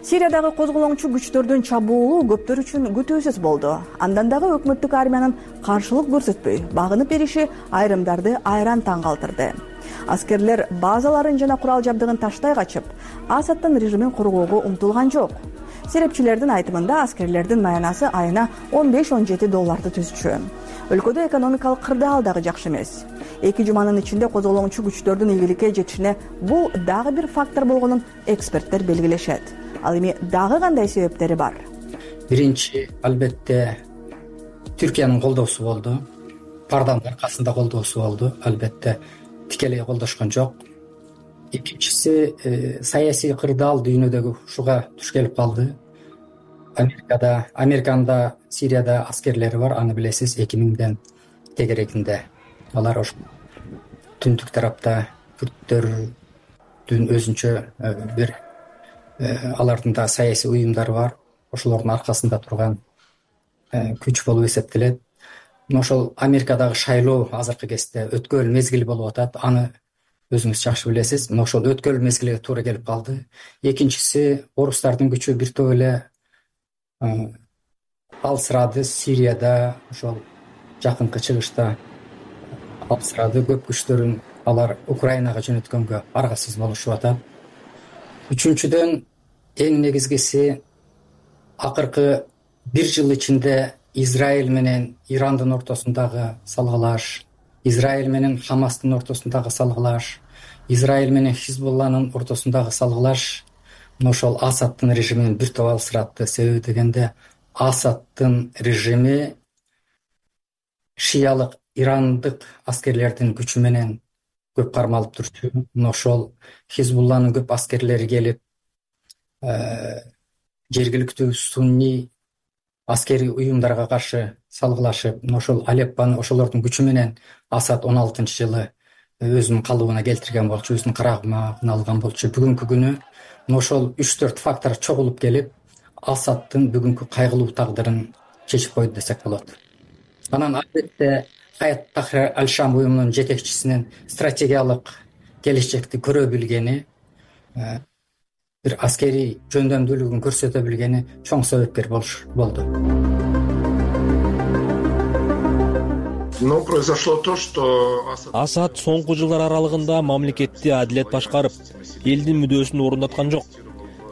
Сириядагы козголоңчу күчтөрдүн чабуулу көптөр үчүн күтүүсүз болду. Андан дагы өкмөттүк армиянын каршылык көрсөтпөй багынып бериши айрымдарды айран таң калтырды. Аскерлер базаларын жана курал жабдыгын таштай качып, Асадтын режимин коргоого умтулган жок. Серепчилердин айтымында аскерлердин маянасы айына $15-17 түзчү. Өлкөдө экономикалык кырдаал дагы жакшы эмес. 2 жуманын ичинде козголоңчу күчтөрдүн ийгиликке жетишине бул дагы бир фактор болгонун эксперттер белгилешет. Ал эми дагы кандай себептери бар? Биринчи, албетте, Түркиянын колдоосу болду. Парданын аркасында колдоосу болду. Албетте, тикелей колдошкон жок. Экинчиси, саясий кырдаал дүйнөдөгү ушуга туш келип калды. Американда, Сирияда аскерлери бар, аны билесиз, 2000ден тегерегинде. Алар ошо түндүк тарапта күрттөрдүн өзүнчө бир алардын да саясий уюмдары бар. Ошолордун аркасында турган күч болуп эсептелет. Ошол Америкадагы шайлоо азыркы кезде өткөл мезгили болуп атат. Аны өзүңүз жакшы билесиз. Ошол өткөл мезгилиге туура келип калды. Экинчиси, орустардын күчү бир топ эле алсырады Сирияда, ошол жакынкы чыгышта алсырады. Көп күчтөрүн алар Украинага жөнөткөнгө аргасыз болушуп атат. Үчүнчүдөн, эң негизгиси, акыркы 1 жыл ичинде Израиль менен Ирандын ортосундагы салгылаш, Израиль менен Хамастын ортосундагы салгылаш, Израиль менен Хизбулланын ортосундагы салгылаш ошол Асадтын режимин бир топ алсыратты. Себеби дегенде Асадтын режими шиялык ирандык аскерлердин күчү менен көп кармалып турчу. Ошол Хизбулланын көп аскерлери келип, жергиликтүү сунни аскерий уюмдарга каршы салгылашып, ошол Алеппаны ошолордун күчү менен Асад 16-жылы өзүнүн калыбына келтирген болчу, өзүнүн карамагына алган болчу. Бүгүнкү күнү ошол 3-4 фактор чогулуп келип, Асадтын бүгүнкү кайгылуу тагдырын чечип койду десек болот. Анан албетте Хаят Тахрир Аль-Шам уюмунун жетекчисинин стратегиялык келечекти көрө билгени, бир аскерий жөндөмдүүлүгүн көрсөтө билгени чоң себепкер болду. Асад соңку жылдар аралыгында мамлекетти адилет башкарып, элдин мүдөөсүн орундаткан жок.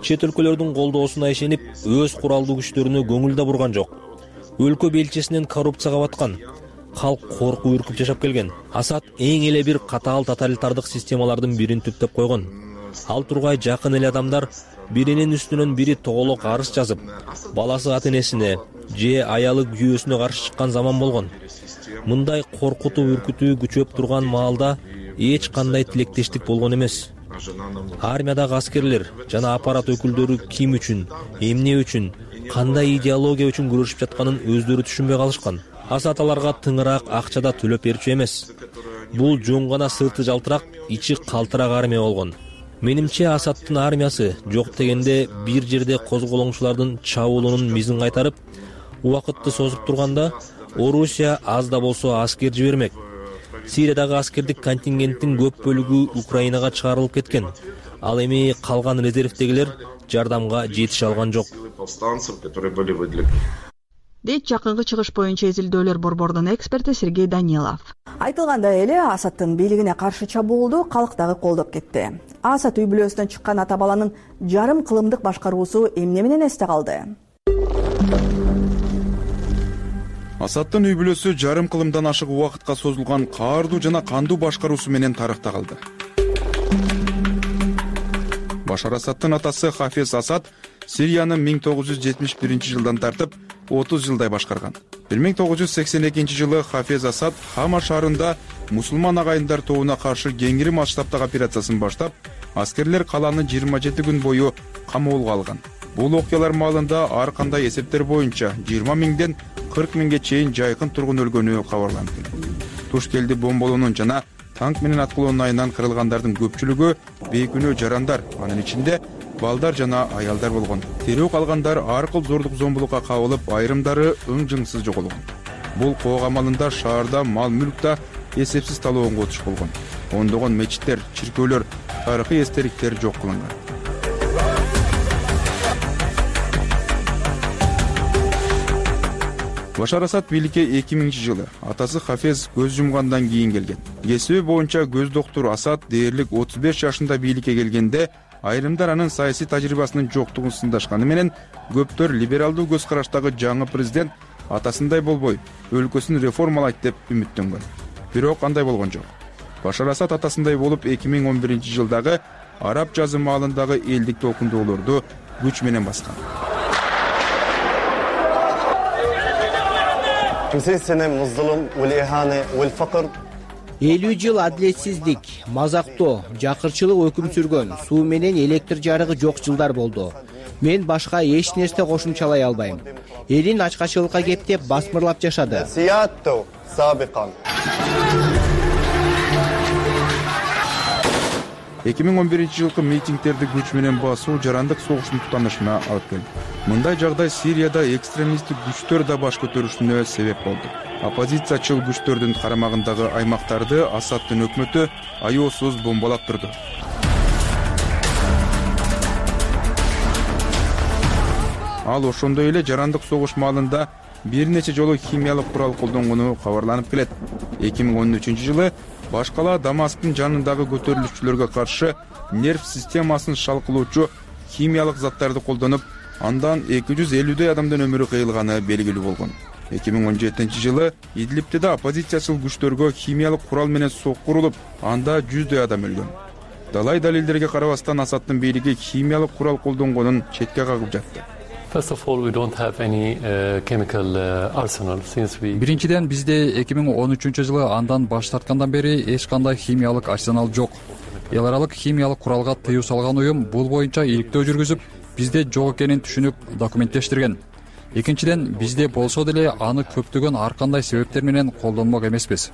Чет өлкөлөрдүн колдоосуна ишенип, өз куралдуу күчтөрүнө көңүл да бурган жок. өлкө белчесинен коррупцияга баткан, калк коркуп үркүп жашап келген. Асад эң эле бир катаал тоталитардык системалардын бирин түптөп койгон. Ал тургай жакын эле адамдар биринин үстүнөн бири тоголок арыз жазып, баласы ата-энесине же аялы күйөөсүнө каршы чыккан заман болгон. Мындай коркутуу үркүтүү күчөп турган маалда эч кандай тилектештик болгон эмес. Армиядагы аскерлер жана аппарат өкүлдөрү ким үчүн, эмне үчүн, кандай идеология үчүн күрөшүп жатканын өздөрү түшүнбөй калышкан. Асад аларга тыңыраак акчада төлөп берчү эмес. Бул жөн гана сырты жалтырак, ичи калтырак армия болгон. Менимче Асадтын армиясы жок дегенде бир жерде козголоңчулардын чабуулунун мизин кайтарып, убакытты созуп турганда Орусия аз да болсо аскер жибермек. Сириядагы аскердик контингенттин көп бөлүгү Украинага чыгарылып кеткен. Ал эми калган резервдегилер жардамга жетише алган жок. Дейт жакынкы чыгыш боюнча изилдөөлөр борборунун эксперти Сергей Данилов. Айтылгандай эле Асадтын бийлигине каршы чабуулду калк дагы колдоп кетти. Асад үй бүлөсүнөн чыккан ата баланын жарым кылымдык башкаруусу эмне менен эсте калды? Асадтын үй бүлөсү жарым кылымдан ашык убакытка созулган каардуу жана кандуу башкаруусу менен тарыхта калды. Башар Асадтын атасы Хафез Асад Сирияны 1971-жылдан тартып 30 жылдай башкарган. 1982 жылы Хафез Асад Хама шаарында мусулман агайындар тобуна каршы кеңири масштабтагы операциясын баштап, аскерлер каланы 27 күн бою камоолго алган. Бул окуялар маалында ар кандай эсептер боюнча 20 миңден 40 миңге чейин жайкын тургун өлгөнү кабарланып келген. Тушкелди бомболоонун жана танк менен аткылоонун айынан кырылгандардын көпчүлүгү бейкүнөө жарандар, анын ичинде балдар жана аялдар болгон. Тирүү калгандар ар кыл зордук зомбулукка кабылып, айрымдары ың-жыңсыз жоголгон. Бул коок амалында шаарда мал-мүлк да эсепсиз талоонго туш болгон. Ондогон мечиттер, чиркөөлөр, тарыхый эстеликтер жок кылынган. Башар Асад бийликке 2000-жылы атасы Хафез көз жумгандан кийин келген. Кесиби боюнча көз доктуру Асад дээрлик 35 жашында бийликке келгенде айрымдар анын саясий тажрыйбасынын жоктугун сындашканы менен көптөр либералдуу көз караштагы жаңы президент атасындай болбой, өлкөсүн реформалайт деп үмүттөнгөн. Бирок андай болгон жок. Башар Асад атасындай болуп 2011-жылдагы араб жазы маалындагы элдик толкундоолорду күч менен баскан. 50 жыл адилетсиздик, мазактоо, жакырчылык өкүм сүргөн, суу менен электр жарыгы жок жылдар болду. Мен башка эч нерсе кошумчалай албайм. Элин ачкачылыкка кептеп басмырлап жашады. 2011-жылкы митингдерди күч менен басуу жарандык согуштун тутанышына алып келди. Мындай жагдай Сирияда экстремисттик күчтөр да баш көтөрүшүнө себеп болду. Оппозициячыл күчтөрдүн карамагындагы аймактарды Асадтын өкмөтү аеосуз бомбалап турду. Ал ошондой эле жарандык согуш маалында бир нече жолу химиялык курал колдонгону кабарланып келет. 2013-жылы баш кала Дамасктын жанындагы көтөрүлүшчүлөргө каршы нерв системасын шалкылоочу химиялык заттарды колдонуп, андан 250 адамдын өмүрү кыйылганы белгилүү болгон. 2017-жылы Идлибте да оппозициячыл күчтөргө химиялык курал менен сокку урулуп, анда 100 адам өлгөн. Далай далилдерге карабастан Асадтын бийлиги химиялык курал колдонгонун четке кагып жатты. Биринчиден, бизде 2013-жылы андан баш тарткандан бери эч кандай химиялык арсенал жок. Эл аралык химиялык куралга тыюу салган уюм бул боюнча иликтөө жүргүзүп, бизде жок экенин түшүнүп документтештирген. Экинчиден, бизде болсо деле аны көптөгөн ар кандай себептер менен колдонмок эмеспиз.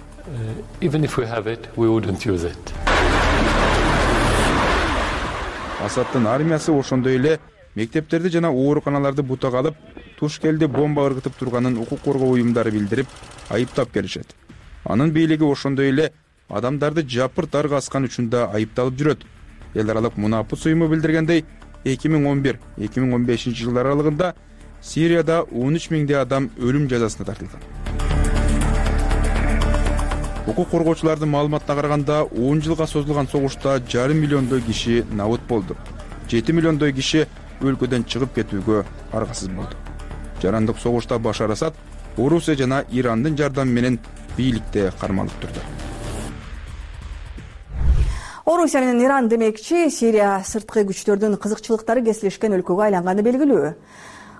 Асадтын армиясы ошондой эле мектептерди жана ооруканаларды бутага алып, Тушкелди бомба ыргытып турганын укук коргоо уюмдары билдирип, айыптап келишет. Анын бийлиги ошондой эле адамдарды жапырт аргаскан үчүн да айыпталып жүрөт. Эл аралык мунапыс уюму билдиргендей, 2011-2015 жылдар аралыгында Сирияда 13 миңдей адам өлүм жазасына тартылган. Укук коргоочулардын маалыматына караганда 10 жылга созулган согушта 1,5 миллиондой киши набыт болду. 7 миллиондой киши өлкөдөн чыгып кетүүгө аргасыз болду. жарандык согушта Башар Асад Орусия жана Ирандын жардамы менен бийликте кармалып турду. Орусия менен Иран демекчи, Сирия сырткы күчтөрдүн кызыкчылыктары кесилишкен өлкөгө айланганы белгилүү.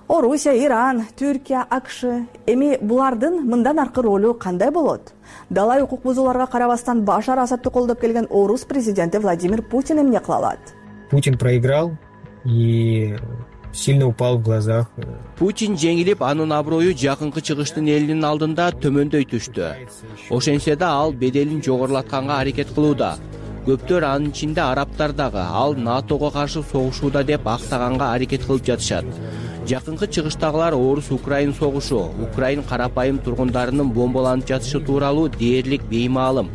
Орусия, Иран, Түркия, АКШ эми булардын мындан аркы ролу кандай болот? Далай укук бузууларга карабастан Башар Асадты колдоп келген орус президенти Владимир Путин эмне кыла алат? Путин проиграл и сильно упал в глазах. Путин жеңилип, анын аброю жакынкы чыгыштын элинин алдында төмөндөй түштү. Ошентсе да ал беделин жогорулатканга аракет кылууда. Көптөр анын ичинде арабтар дагы ал НАТОго каршы согушууда деп актаганга аракет кылып жатышат. Жакынкы чыгыштагылар орус-украин согушу, Украин карапайым тургундарынын бомбаланып жатышы тууралуу дээрлик беймаалым.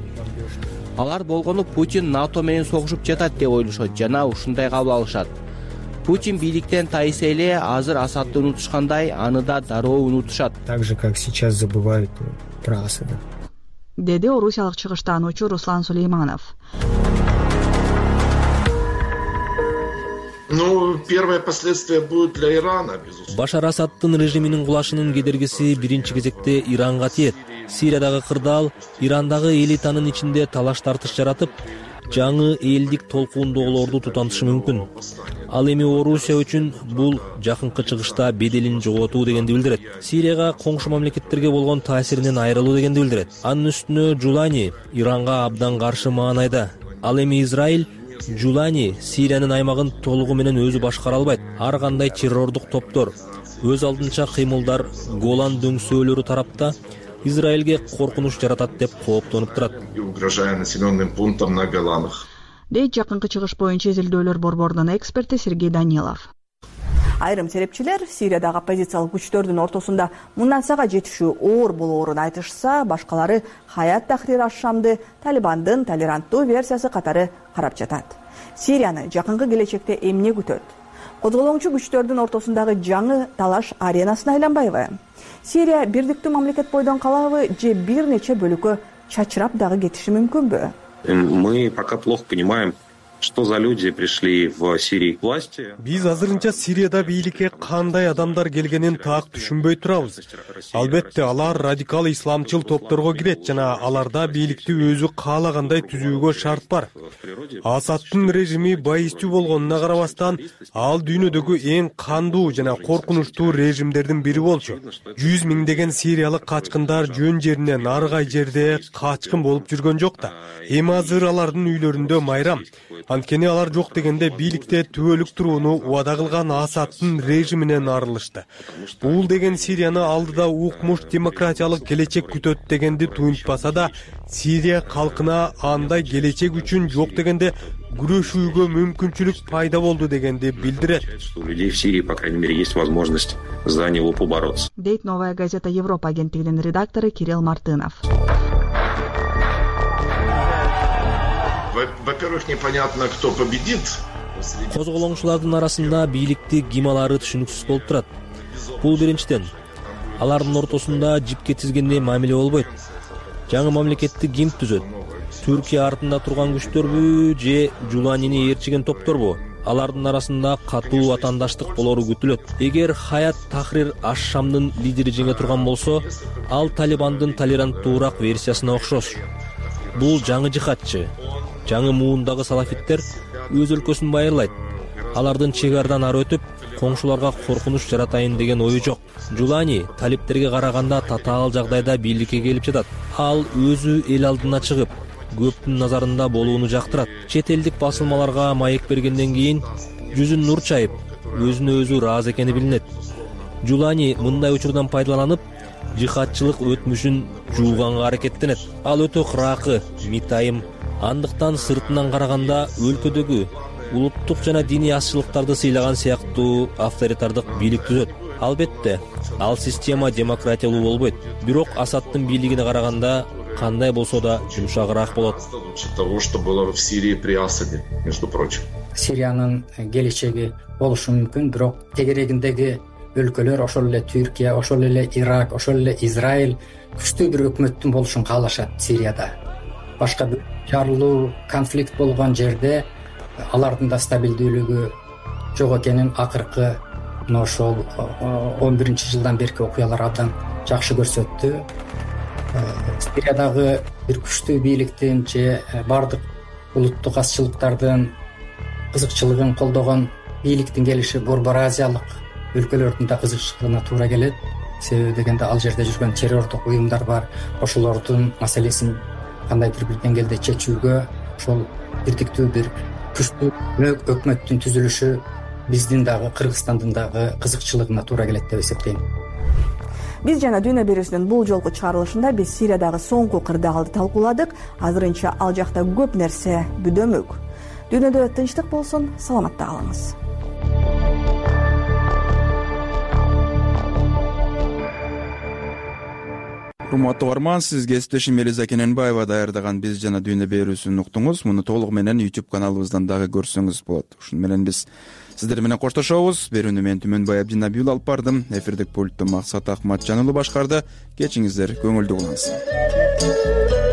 Алар болгону Путин НАТО менен согушуп жатат деп ойлошот жана ушундай кабыл алышат. Путин бийликтен тайса эле азыр Асадты унутушкандай, аны да дароо унутушат. Так же, как сейчас забывают про Асада. Деди орусиялык чыгыштаануучу Руслан Сулейманов. Первое последствие будет для Ирана, безусловно. Башар Асадтын режиминин кулашынын кедергиси биринчи кезекте Иранга тиет. Сириядагы кырдаал Ирандагы элитанын ичинде талаш тартыш жаратып, жаңы элдик толкуундогулорду тутантышы мүмкүн. Ал эми Орусия үчүн бул жакынкы чыгышта беделин жоготуу дегенди билдирет. Сирияга коңшу мамлекеттерге болгон таасиринен айрылуу дегенди билдирет. Анын үстүнө Жулани Иранга абдан каршы маанайда. Ал эми Израиль Жулани Сириянын аймагын толугу менен өзү башкара албайт. Ар кандай террордук топтор өз алдынча кыймылдар Голан дөңсөөлөрү тарапта Израилге коркунуч жаратат деп кооптонуп турат. Угрожая населенным пунктам на Голанах. Дейт жакынкы чыгыш боюнча изилдөөлөр борборунун эксперти Сергей Данилов. Айрым серепчилер Сириядагы оппозициялык күчтөрдүн ортосунда мындан сага жетишүү оор болоорун айтышса, башкалары Хаят Тахрир аш-Шамды Талибандын толеранттуу версиясы катары карап жатат. Сирияны жакынкы келечекте эмне күтөт? Козголоңчу күчтөрдүн ортосундагы жаңы талаш аренасына айланбайбы? Сирия бирдиктүү мамлекет бойдон калабы же бир нече бөлүккө чачырап дагы кетиши мүмкүнбү? Мы пока плохо понимаем, что за люди пришли в Сирии к власти. Биз азырынча Сирияда бийликке кандай адамдар келгенин так түшүнбөй турабыз. Албетте алар радикал исламчыл топторго кирет жана аларда бийликти өзү каалагандай түзүүгө шарт бар. Асадтын режими байыстуу болгонуна карабастан, ал дүйнөдөгү эң кандуу жана коркунучтуу режимдердин бири болчу. 100 миңдеген сириялык качкындар жөн жеринен аргай жерде качкын болуп жүргөн жок да. Эми азыр алардын үйлөрүндө майрам. Анткени алар жок дегенде бийликте түбөлүк турууну убада кылган Асадтын режиминен арылышты. Бул деген Сирияны алдыда укмуш демократиялык келечек күтөт дегенди туюнтпаса да, Сирия калкына андай келечек үчүн жок дегенде күрөшүүгө мүмкүнчүлүк пайда болду дегенди билдирет. У людей в Сирии, по крайней мере, есть возможность за него побороться. Дейт Новая газета Европа агенттигинин редактору Кирилл Мартынов. Во-первых, непонятно, кто победит. Козголоңчулардын арасында бийликти ким алары түшүнүксүз болуп турат. Бул биринчиден. Алардын ортосунда жипке тизгендей мамиле болбойт. Жаңы мамлекетти ким түзөт? Түркия артында турган күчтөрбү же Жуланини ээрчиген топторбу? Алардын арасында катуу ватандаштык болору күтүлөт. Эгер Хаят Тахрир аш-Шамдын лидери жеңе турган болсо, ал Талибандын толеранттуураак версиясына окшош. Бул жаңы жихадчы. Жаңы муундагы салафиттер өз өлкөсүн байырлайт. Алардын чек арадан ары өтүп, коңшуларга коркунуч жаратайын деген ою жок. Жулани талиптерге караганда татаал жагдайда бийликке келип жатат. Ал өзү эл алдына чыгып, көптүн назарында болууну жактырат. Чет элдик басылмаларга маек бергенден кийин жүзүн нур чайып, өзүнө өзү ыраазы экени билинет. Жулани мындай учурдан пайдаланып, жихадчылык өтмүшүн жууганга аракеттенет. Ал өтө кыракы, митайым. Андыктан сыртынан караганда өлкөдөгү улуттук жана диний азчылыктарды сыйлаган сыяктуу авторитардык бийлик түзөт. Албетте, ал система демократиялуу болбойт. Бирок Асадтын бийлигине караганда кандай болсо да жумшагыраак болот. Того, что было в Сирии при Асаде, между прочим. Сириянын келечеги болушу мүмкүн, бирок тегерегиндеги өлкөлөр, ошол эле Түркия, ошол эле Ирак, ошол эле Израиль күчтүү бир өкмөттүн болушун каалашат Сирияда. Башка бир жарылуу, конфликт болгон жерде алардын да стабилдүүлүгү жок экенин акыркы мына ошол 11-жылдан берки окуялар абдан жакшы көрсөттү. Сириядагы бир күчтүү бийликтин же баардык улуттук азчылыктардын кызыкчылыгын колдогон бийликтин келиши Борбор Азиялык өлкөлөрдүн да кызыкчылыгына туура келет. Себеби дегенде ал жерде жүргөн террордук уюмдар бар. Ошолордун маселесин кандайдыр бир деңгээлде чечүүгө ошол бирдиктүү бир күчтүү өкмөттүн түзүлүшү биздин дагы Кыргызстандын дагы кызыкчылыгына туура келет деп эсептейм. Биз жана Дүйнө берүүсүнүн бул жолку чыгарылышында биз Сириядагы соңку кырдаалды талкууладык. Азырынча ал жакта көп нерсе бүдөмөк. Дүйнөдө тынчтык болсун, саламатта калыңыз. Урматтуу угарман, сиз кесиптешим Элиза Кененбаева даярдаган Биз жана Дүйнө берүүсүн уктуңуз. Муну толугу менен YouTube каналыбыздан дагы көрсөңүз болот. Ушуну менен биз сиздер менен коштошобуз. Берүүнү мен Түмөнбай Абдинабиул алып бардым. Эфирдик пультту Максат Акматжан уулу башкарды. Кечиңиздер көңүлдүү улансын.